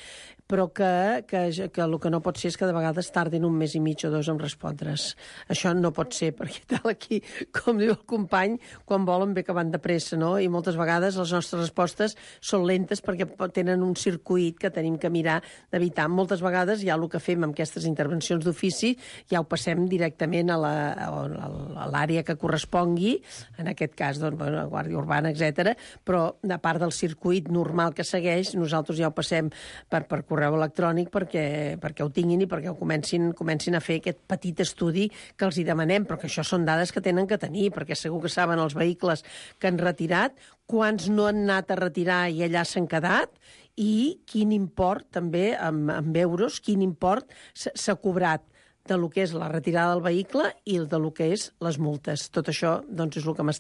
però que el que no pot ser és que de vegades tardin un mes i mig o 2 en respondre's. Això no pot ser, perquè tal aquí, com diu el company, quan volen bé que van de pressa, no? I moltes vegades les nostres respostes són lentes perquè tenen un circuit que tenim que mirar d'evitar. Moltes vegades ja el que fem amb aquestes intervencions d'ofici ja ho passem directament a l'àrea que correspongui, en aquest cas, doncs, la Guàrdia Urbana, etc. Però, a part del circuit normal que segueix, nosaltres ja ho passem per correu electrònic perquè ho tinguin i perquè ho comencin a fer aquest petit estudi que els hi demanem, però que això són dades que tenen que tenir, perquè segur que saben els vehicles que han retirat, quants no han anat a retirar i allà s'han quedat, i quin import, també, en euros, quin import s'ha cobrat de lo que és la retirada del vehicle i de lo que és les multes. Tot això, doncs, és el que m'ha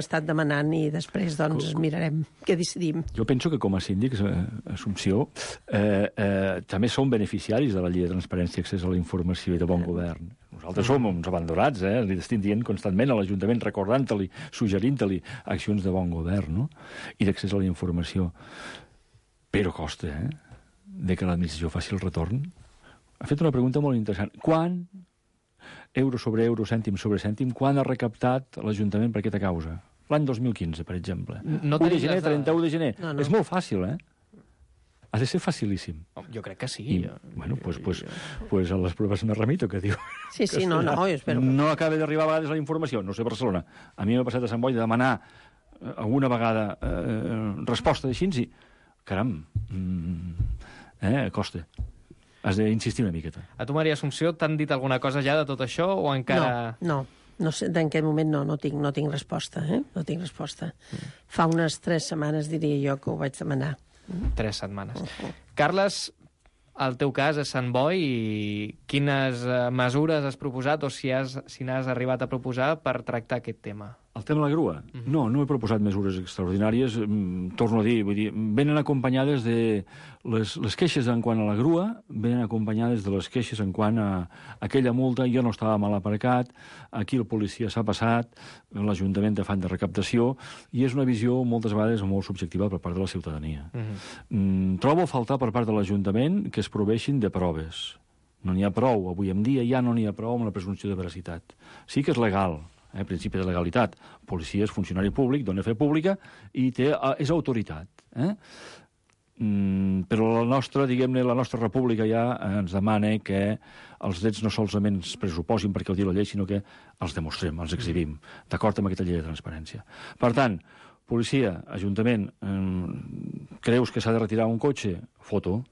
estat demanant, i després, doncs, mirarem què decidim. Jo penso que com a síndics, Assumpció, també som beneficiaris de la Llei de Transparència i Accés a la Informació i de Bon Govern. Nosaltres som uns abandonats, li estem dient constantment a l'Ajuntament, recordant-li, suggerint-li accions de bon govern, no? I d'accés a la informació. però costa, de que l'administració faci el retorn. Ha fet una pregunta molt interessant. Quan, euro sobre euro, cèntim sobre cèntim, quan ha recaptat l'Ajuntament per aquesta causa? L'any 2015, per exemple. 1 de gener, 31 de gener. No. És molt fàcil, Ha de ser facilíssim. Jo crec que sí. Bueno, pues a les proves me remito, que diu. Sí, no, jo espero. No acaba d'arribar a vegades la informació, no sé Barcelona. A mi m'ha passat a Sant Boi de demanar alguna vegada resposta d'així i, caram, costa. Has d'insistir una miqueta. A tu, Maria Assumpció, t'han dit alguna cosa ja de tot això o encara... No sé, en aquest moment no tinc resposta, No tinc resposta. Fa unes 3 setmanes, diria jo, que ho vaig demanar. 3 setmanes. Carles, el teu cas és Sant Boi i quines mesures has proposat o si n'has arribat a proposar per tractar aquest tema? El tema de la grua? No he proposat mesures extraordinàries. Torno a dir, venen acompanyades de... Les queixes en quant a la grua venen acompanyades de les queixes en quant a aquella multa. Jo no estava mal aparcat, aquí el policia s'ha passat, l'Ajuntament té afany de recaptació, i és una visió moltes vegades molt subjectiva per part de la ciutadania. Trobo a faltar per part de l'Ajuntament que es proveixin de proves. No n'hi ha prou. Avui en dia ja no n'hi ha prou amb la presumpció de veracitat. Sí que és legal, principi de legalitat. Policia és funcionari públic, dona fe pública i és autoritat. Però la nostra república ja ens demana que els drets no solament es pressuposin perquè ho diu la llei, sinó que els demostrem, els exhibim, d'acord amb aquesta llei de transparència. Per tant, policia, ajuntament, creus que s'ha de retirar un cotxe? Foto.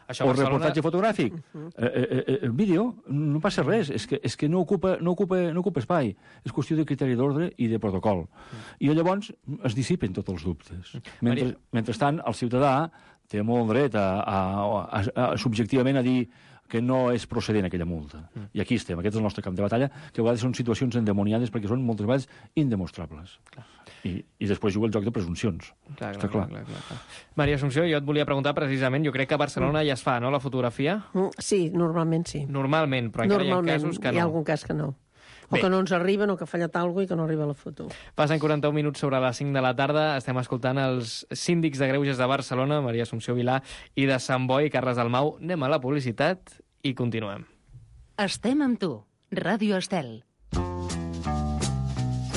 O reportatge fotogràfic, vídeo, no passa res, és que no ocupa espai, és qüestió de criteri d'ordre i de protocol. I llavors es dissipen tots els dubtes. Mentrestant, el ciutadà té molt dret subjectivament a dir que no és procedent aquella multa. I aquí estem, aquest és el nostre camp de batalla, que a vegades són situacions endemoniades perquè són moltes vegades indemostrables. I després juga el joc de presumpcions. Està clar. Maria Assumpció, jo et volia preguntar precisament, jo crec que a Barcelona ja es fa, no, la fotografia? Sí, normalment sí. Normalment, però encara hi ha casos que no. Hi ha algun cas que no. O que no ens arriben, o que ha fallat alguna cosa i que no arriba la foto. Passen 41 minuts sobre les 5 de la tarda. Estem escoltant els síndics de Greuges de Barcelona, Maria Assumpció Vilà, i de Sant Boi, Carles Dalmau. Anem a la publicitat i continuem. Estem amb tu. Ràdio Estel.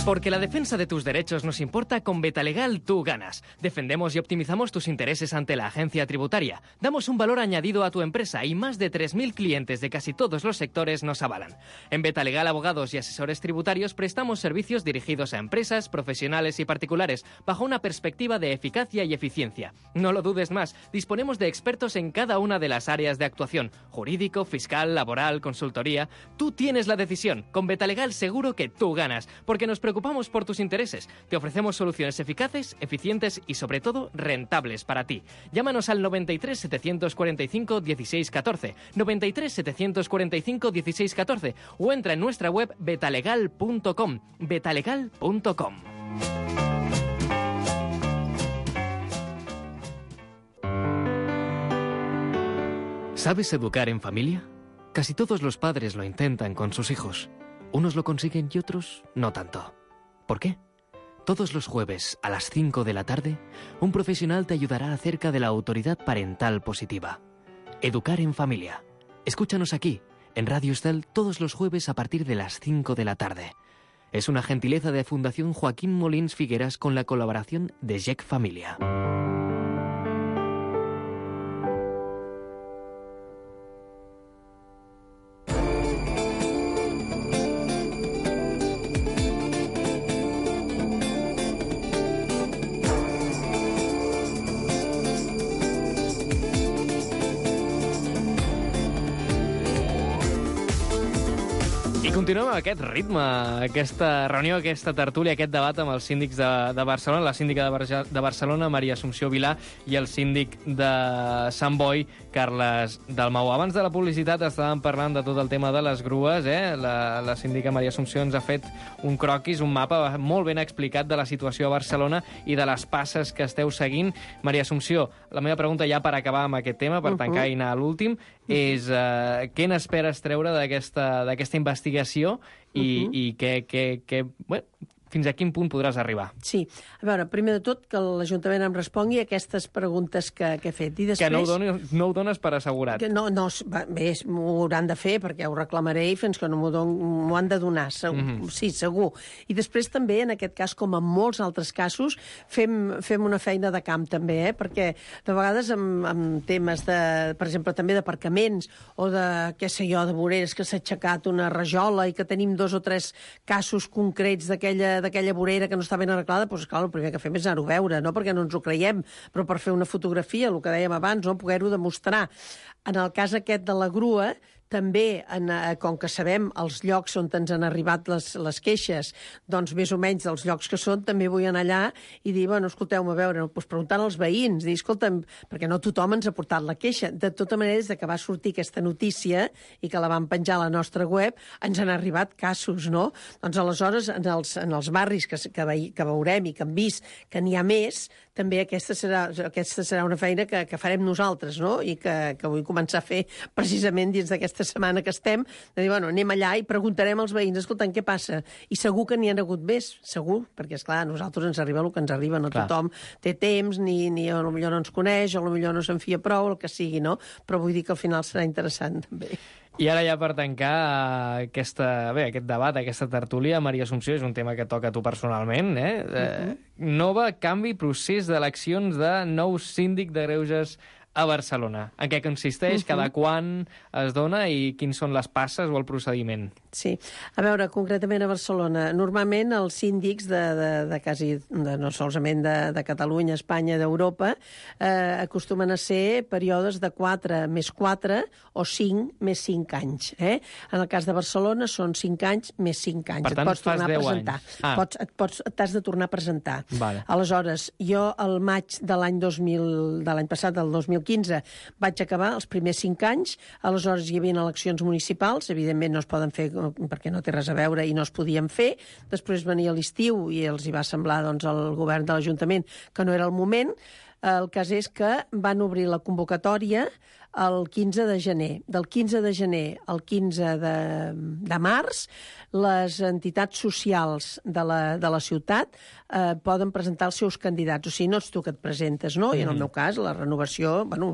Porque la defensa de tus derechos nos importa, con Betalegal tú ganas. Defendemos y optimizamos tus intereses ante la agencia tributaria. Damos un valor añadido a tu empresa y más de 3.000 clientes de casi todos los sectores nos avalan. En Betalegal Abogados y Asesores Tributarios prestamos servicios dirigidos a empresas, profesionales y particulares bajo una perspectiva de eficacia y eficiencia. No lo dudes más, disponemos de expertos en cada una de las áreas de actuación: jurídico, fiscal, laboral, consultoría. Tú tienes la decisión. Con Betalegal seguro que tú ganas, porque nos preocupamos por tus intereses. Te ofrecemos soluciones eficaces, eficientes y sobre todo rentables para ti. Llámanos al 93 745 16 14, 93 745 16 14 o entra en nuestra web betalegal.com, betalegal.com. ¿Sabes educar en familia? Casi todos los padres lo intentan con sus hijos. Unos lo consiguen y otros no tanto. ¿Por qué? Todos los jueves a las 5 de la tarde, un profesional te ayudará acerca de la autoridad parental positiva. Educar en familia. Escúchanos aquí, en Radio Estel, todos los jueves a partir de las 5 de la tarde. Es una gentileza de Fundación Joaquín Molins Figueras con la colaboración de Jack Familia. Continuem amb aquest ritme, aquesta reunió, aquesta tertúlia, aquest debat amb els síndics de Barcelona, la síndica de Barcelona, Maria Assumpció Vilà, i el síndic de Sant Boi, Carles Dalmau. Abans de la publicitat estàvem parlant de tot el tema de les grues, La síndica Maria Assumpció ens ha fet un croquis, un mapa molt ben explicat de la situació a Barcelona i de les passes que esteu seguint. Maria Assumpció, la meva pregunta ja per acabar amb aquest tema, per tancar i anar a l'últim, és què n'esperes treure d'aquesta investigació i fins a quin punt podràs arribar? Sí. A veure, primer de tot, que l'Ajuntament em respongui a aquestes preguntes que he fet. I després... Que no ho dones per assegurat. Que no, bé, m'ho hauran de fer, perquè ho reclamaré i fins que no m'ho han de donar, segur. Sí, segur. I després també, en aquest cas, com en molts altres casos, fem una feina de camp, també, perquè de vegades amb temes de, per exemple, també d'aparcaments o de, què sé jo, de voreres que s'ha aixecat una rajola i que tenim 2 o 3 casos concrets d'aquella vorera que no està ben arreglada, doncs, clar, el primer que fem és anar-ho a veure, no perquè no ens ho creiem, però per fer una fotografia, el que dèiem abans, no? Poder-ho demostrar. En el cas aquest de la grua, també, com que sabem els llocs on ens han arribat les queixes, doncs més o menys dels llocs que són, també vull anar allà i dir, bueno, escolteu-me, a veure, doncs preguntant als veïns, dir, escolta'm, perquè no tothom ens ha portat la queixa. De tota manera, des que va sortir aquesta notícia i que la vam penjar a la nostra web, ens han arribat casos, no? Doncs aleshores, en els barris que veurem i que hem vist que n'hi ha més, també aquesta serà una feina que farem nosaltres, no? I que vull començar a fer precisament dins d'aquesta setmana que estem, de dir, bueno, anem allà i preguntarem als veïns, escolta'm, què passa? I segur que n'hi ha hagut més, segur, perquè, esclar, a nosaltres ens arriba el que ens arriba, no tothom té temps, ni potser no ens coneix, o potser no se'n fia prou, el que sigui, no? Però vull dir que al final serà interessant, també. I ara ja per tancar aquest debat, aquesta tertúlia, Maria Assumpció, és un tema que toca a tu personalment, nova canvi procés d'eleccions de nou síndic de Greuges a Barcelona. En què consisteix, cada quan es dona i quins són les passes o el procediment? Sí. A veure, concretament a Barcelona, normalment els síndics no solament de Catalunya, Espanya, d'Europa, acostumen a ser períodes de 4 més 4 o 5 més 5 anys. En el cas de Barcelona són 5 anys més 5 anys. Per tant, et pots tornar a presentar. T'has de tornar a presentar. Vale. Aleshores, jo al maig de l'any passat, del 2015, vaig acabar els primers 5 anys, aleshores hi havia eleccions municipals, evidentment no es poden fer perquè no té res a veure i no es podien fer. Després venia l'estiu i els hi va semblar doncs, al govern de l'Ajuntament que no era el moment. El cas és que van obrir la convocatòria el 15 de gener. Del 15 de gener al 15 de març, les entitats socials de la ciutat poden presentar els seus candidats. O sigui, no ets tu que et presentes, no? I en el meu cas, la renovació, bueno,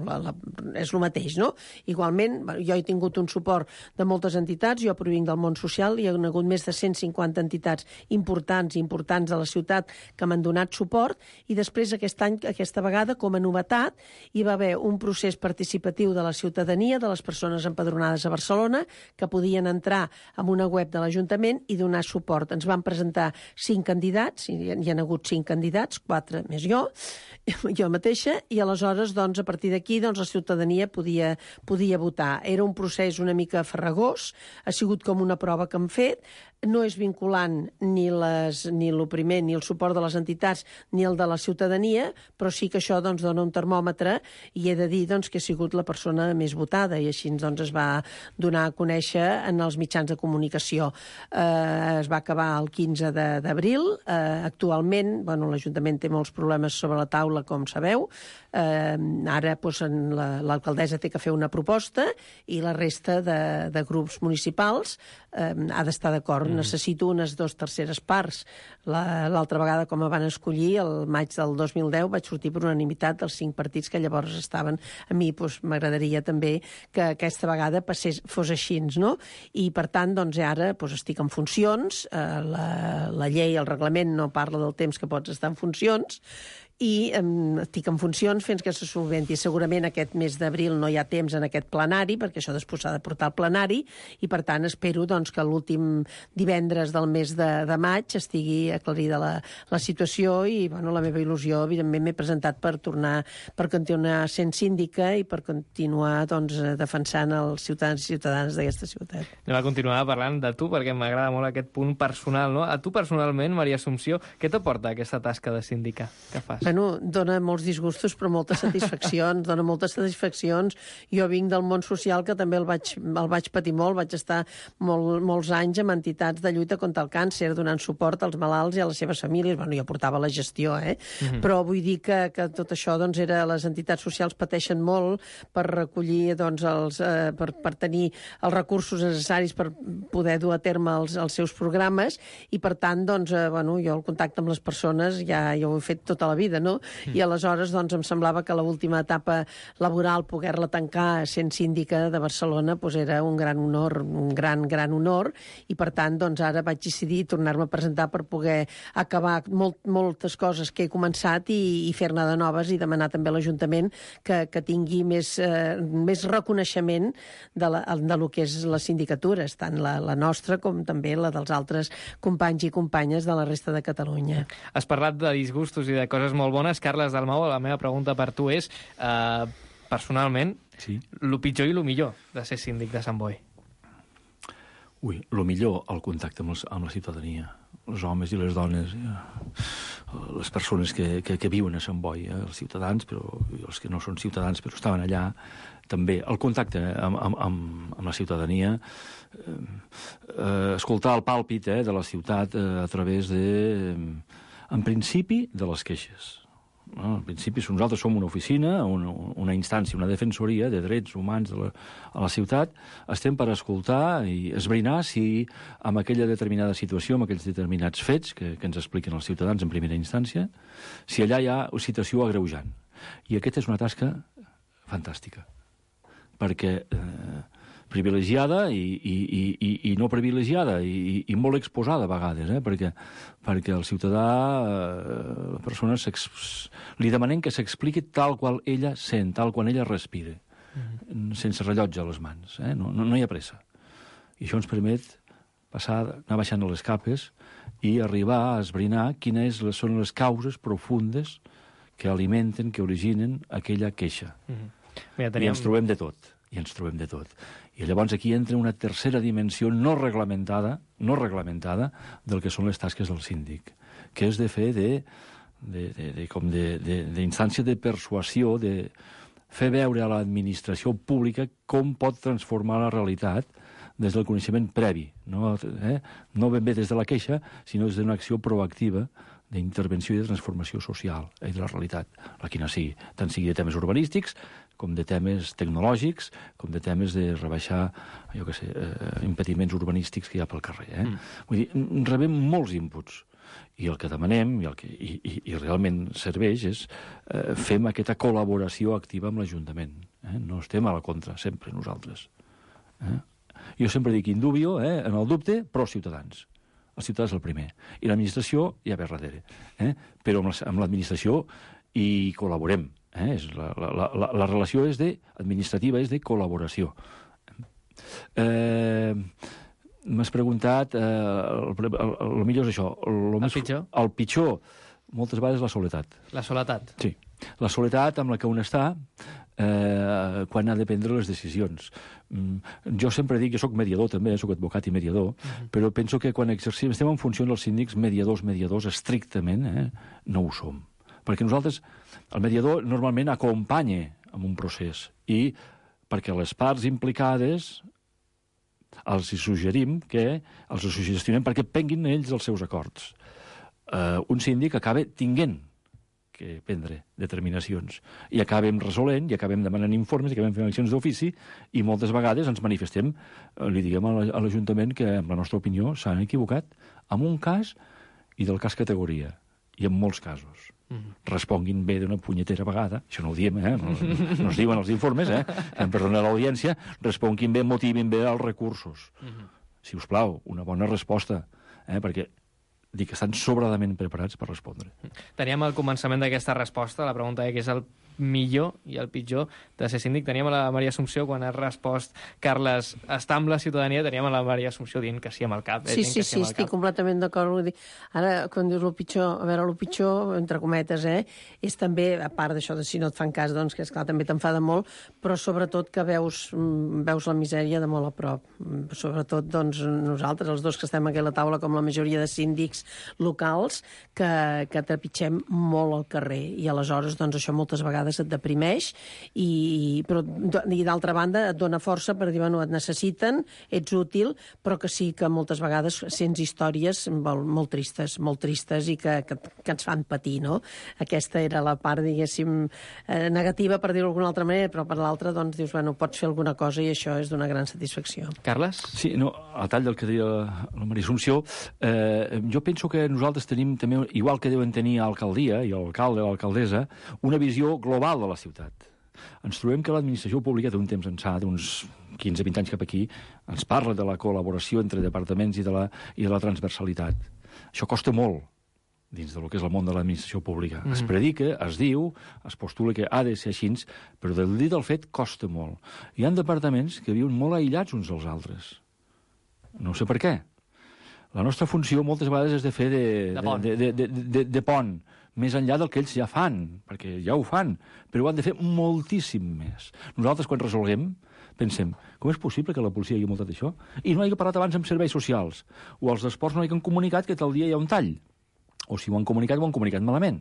és el mateix, no? Igualment, jo he tingut un suport de moltes entitats, jo provinc del món social, hi ha hagut més de 150 entitats importants de la ciutat que m'han donat suport, i després aquest any, aquesta vegada, com a novetat, hi va haver un procés participatiu de la ciutadania, de les persones empadronades a Barcelona, que podien entrar en una web de l'Ajuntament i donar suport. Ens van presentar 5 candidats, hi ha hagut 5 candidats, 4 més jo mateixa, i aleshores, doncs, a partir d'aquí, doncs, la ciutadania podia votar. Era un procés una mica farragós, ha sigut com una prova que hem fet, no és vinculant ni el primer, ni el suport de les entitats, ni el de la ciutadania, però sí que això doncs, dona un termòmetre, i he de dir doncs, que he sigut la persona més votada, i així doncs, es va donar a conèixer en els mitjans de comunicació. Es va acabar el 15 d'abril. Actualment, bueno, l'Ajuntament té molts problemes sobre la taula, com sabeu. Ara doncs, l'alcaldessa té que fer una proposta i la resta de grups municipals ha d'estar d'acord. Necessito unes 2/3 parts. L'altra vegada, com em van escollir, el maig del 2010, vaig sortir per unanimitat dels 5 partits que llavors estaven. A mi doncs, m'agradaria també que aquesta vegada fos així, no? I, per tant, doncs, ara doncs, estic en funcions. La llei, el reglament, no parla del temps que pots estar en funcions, i estic en funcions fins que se solventi. Segurament aquest mes d'abril no hi ha temps en aquest plenari, perquè això després s'ha de portar al plenari, i per tant espero doncs, que l'últim divendres del mes de maig estigui aclarida la situació, i bueno, la meva il·lusió, evidentment, m'he presentat per continuar sent síndica i per continuar doncs, defensant els ciutadans i ciutadanes d'aquesta ciutat. Anem a continuar parlant de tu, perquè m'agrada molt aquest punt personal, no? A tu personalment, Maria Assumpció, què t'aporta aquesta tasca de síndica que fas? Bueno, dona molts disgustos, però moltes satisfaccions, dona moltes satisfaccions. Jo vinc del món social, que també el vaig patir molt, vaig estar molts anys amb entitats de lluita contra el càncer, donant suport als malalts i a les seves famílies. Bueno, jo portava la gestió, però vull dir que tot això, doncs, les entitats socials pateixen molt per recollir, doncs, per tenir els recursos necessaris per poder dur a terme els seus programes, i per tant, doncs, bueno, jo el contacte amb les persones ja ho he fet tota la vida, no? I aleshores, doncs, em semblava que l'última etapa laboral, poder-la tancar sent síndica de Barcelona, doncs era un gran honor, un gran honor, i per tant, doncs, ara vaig decidir tornar-me a presentar per poder acabar moltes coses que he començat i fer-ne de noves, i demanar també a l'Ajuntament que tingui més reconeixement de lo que és les sindicatures, tant la nostra com també la dels altres companys i companyes de la resta de Catalunya. Has parlat de disgustos i de coses molt bones. Carles Dalmau, la meva pregunta per tu és, personalment, lo pitjor i lo millor de ser síndic de Sant Boi? Ui, lo millor, el contacte amb la ciutadania, els homes i les dones, les persones que viuen a Sant Boi, els ciutadans, però els que no són ciutadans però estaven allà, també el contacte amb la ciutadania, escoltar el pàlpit de la ciutat a través en principi, de les queixes. En principi, nosaltres som una oficina, una instància, una defensoria de drets humans a la ciutat, estem per escoltar i esbrinar si amb aquella determinada situació, amb aquells determinats fets que ens expliquen els ciutadans en primera instància, si allà hi ha una situació agreujant. I aquesta és una tasca fantàstica, perquè privilegiada i no privilegiada i molt exposada a vegades, perquè el ciutadà, la persona, li demanem que s'expliqui tal qual ella sent, tal qual ella respira, sense rellotge a les mans, no hi ha pressa. I això ens permet anar baixant a les capes i arribar a esbrinar quines són les causes profundes que alimenten, que originen aquella queixa. I ens trobem de tot. I llavors aquí entra una tercera dimensió no reglamentada del que són les tasques del síndic, que és de fer d'instància de persuasió, de fer veure a l'administració pública com pot transformar la realitat des del coneixement previ, no ben bé des de la queixa, sinó des d'una acció proactiva d'intervenció i de transformació social de la realitat, la quina sigui, tant sigui de temes urbanístics, com de temes tecnològics, com de temes de rebaixar, impediments urbanístics que hi ha pel carrer. Vull dir, rebem molts inputs, i el que demanem, i realment serveix, és fem aquesta col·laboració activa amb l'Ajuntament. No estem a la contra, sempre, nosaltres. Jo sempre dic in dubio, en el dubte, però ciutadans. El ciutadà és el primer. I l'administració ja ve darrere. Però amb l'administració hi col·laborem. La relació administrativa és de col·laboració. M'has preguntat, el millor és això. El pitjor? El pitjor, moltes vegades, la soledat. La soledat? Sí. La soledat amb la que un està quan ha de prendre les decisions. Jo sempre dic que soc mediador també, soc advocat i mediador, però penso que quan estem en funció dels síndics mediadors estrictament, no ho som. Perquè nosaltres, el mediador normalment acompanya en un procés i perquè les parts implicades els suggerim els suggestionem perquè prenguin ells els seus acords. Un síndic acaba tinguent que prendre determinacions i acabem resolent, i acabem demanant informes, i acabem fent accions d'ofici, i moltes vegades ens manifestem, li diguem a l'Ajuntament que, en la nostra opinió, s'han equivocat en un cas i del cas categoria, i en molts casos. Responguin bé d'una punyetera vegada, això no ho diem, no es diuen els informes, em perdona l'audiència, responguin bé, motivin bé els recursos. Si us plau, una bona resposta, perquè dic que estan sobradament preparats per respondre. Teníem al començament d'aquesta resposta la pregunta que és el millor i el pitjor de ser síndic. Teníem a la Maria Assumpció, quan ha respost Carles, està amb la ciutadania, teníem a la Maria Assumpció dient que sí amb el cap. Sí, estic completament d'acord. Ara, quan dius el pitjor, a veure, el pitjor, entre cometes, és també, a part d'això de si no et fan cas, doncs, que esclar, també t'enfada molt, però sobretot que veus la misèria de molt a prop. Sobretot, doncs, nosaltres, els dos que estem aquí a la taula, com la majoria de síndics locals, que trepitgem molt al carrer. I aleshores, doncs, això moltes vegades et deprimeix i d'altra banda et dona força per dir, bueno, et necessiten, ets útil, però que sí que moltes vegades sents històries molt tristes i que ens fan patir, no? Aquesta era la part, diguéssim, negativa, per dir-ho d'alguna altra manera, però per l'altra, doncs, dius, bueno, pots fer alguna cosa i això és d'una gran satisfacció. Carles? Sí, no, a tall del que deia la Maria Assumpció, jo penso que nosaltres tenim també, igual que deuen tenir alcaldia i l'alcalde o l'alcaldessa, una visió global de la ciutat. Ens trobem que l'administració pública d'un temps ençà, d'uns 15-20 anys cap aquí, ens parla de la col·laboració entre departaments i de la transversalitat. Això costa molt dins del que és el món de l'administració pública. Es predica, es diu, es postula que ha de ser així, però del dit al fet costa molt. Hi ha departaments que viuen molt aïllats uns dels altres. No sé per què. La nostra funció moltes vegades és de fer de pont, més enllà del que ells ja fan, perquè ja ho fan, però ho han de fer moltíssim més. Nosaltres, quan resolguem, pensem, com és possible que la policia hagi multat això? I no hagi parlat abans amb serveis socials, o els d'esports no hagin comunicat que tal dia hi ha un tall, o si ho han comunicat malament.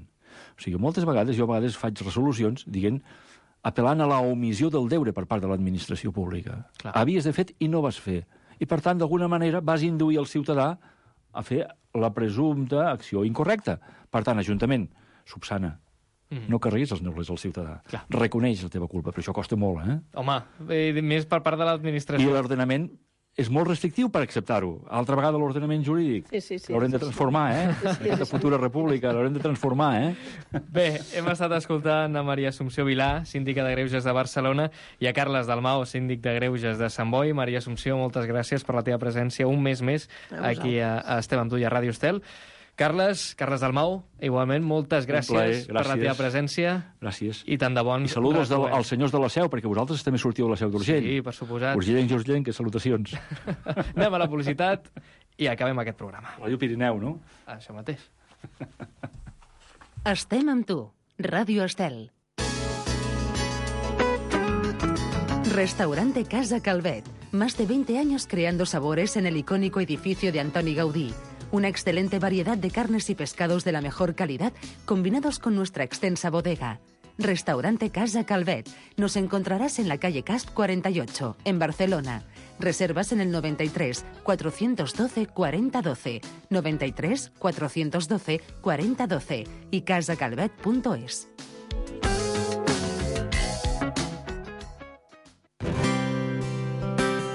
O sigui, moltes vegades, jo faig resolucions dient, apel·lant a la omissió del deure per part de l'administració pública. Clar. Havies de fet i no vas fer. I, per tant, d'alguna manera vas induir el ciutadà a fer la presumpta acció incorrecta. Per tant, Ajuntament, subsana. No carreguis els neulers al ciutadà. Clar. Reconeix la teva culpa, però això costa molt, Home, més per part de l'administració. I l'ordenament és molt restrictiu per acceptar-ho. Altra vegada l'ordenament jurídic. Sí. L'haurem de transformar, Aquesta futura república l'haurem de transformar, Bé, hem estat escoltant a Maria Assumpció Vilà, síndica de Greuges de Barcelona, i a Carles Dalmau, síndic de Greuges de Sant Boi. Maria Assumpció, moltes gràcies per la teva presència un mes més aquí a Estem amb tu i a Ràdio Estel. Carles Dalmau, igualment, moltes gràcies per la teva presència. Gràcies. I tant de bon. I saludos als senyors de la Seu, perquè vosaltres també sortiu de la Seu d'Urgell. Sí, per suposat. Urgellencs, salutacions. Anem a la publicitat i acabem aquest programa. Ràdio Pirineu, no? Això mateix. Estem amb tu, Ràdio Estel. Restaurante Casa Calvet. Más de 20 años creando sabores en el icónico edificio de Antoni Gaudí. Una excelente variedad de carnes y pescados de la mejor calidad, combinados con nuestra extensa bodega. Restaurante Casa Calvet. Nos encontrarás en la calle Casp 48, en Barcelona. Reservas en el 93 412 4012, 93 412 4012 y casacalvet.es.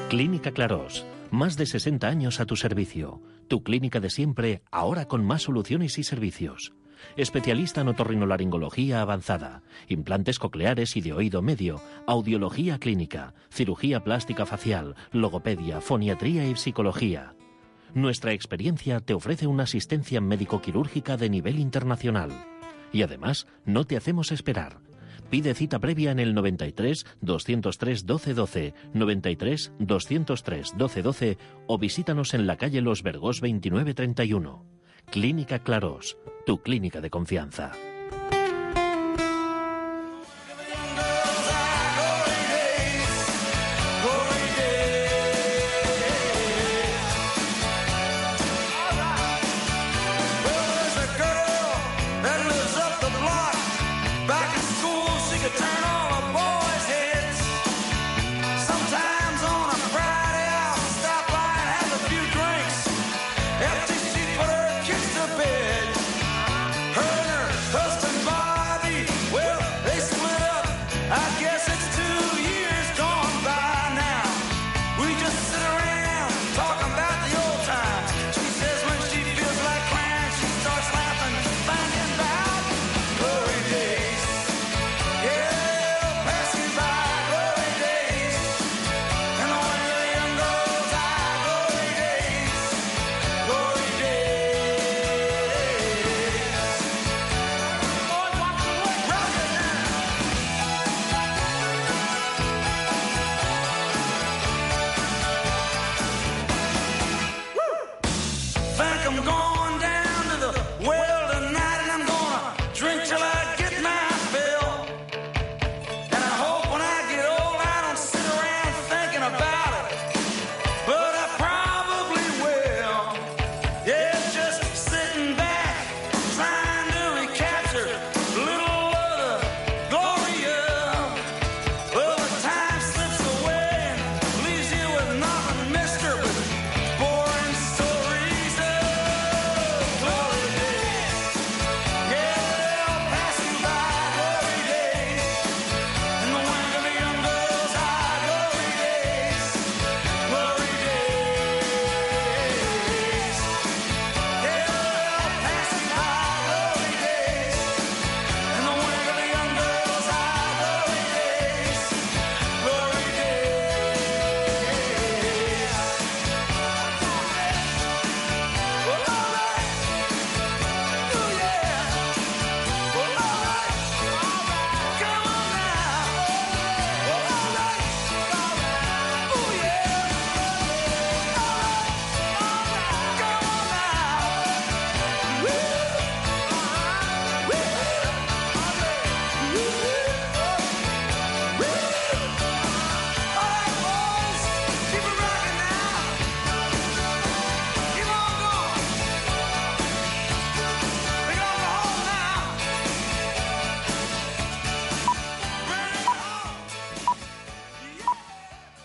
Clínica Clarós. Más de 60 años a tu servicio. Tu clínica de siempre, ahora con más soluciones y servicios. Especialista en otorrinolaringología avanzada, implantes cocleares y de oído medio, audiología clínica, cirugía plástica facial, logopedia, foniatría y psicología. Nuestra experiencia te ofrece una asistencia médico-quirúrgica de nivel internacional. Y además, no te hacemos esperar. Pide cita previa en el 93 203 1212, 93 203 1212 o visítanos en la calle Los Vergós 2931. Clínica Clarós, tu clínica de confianza.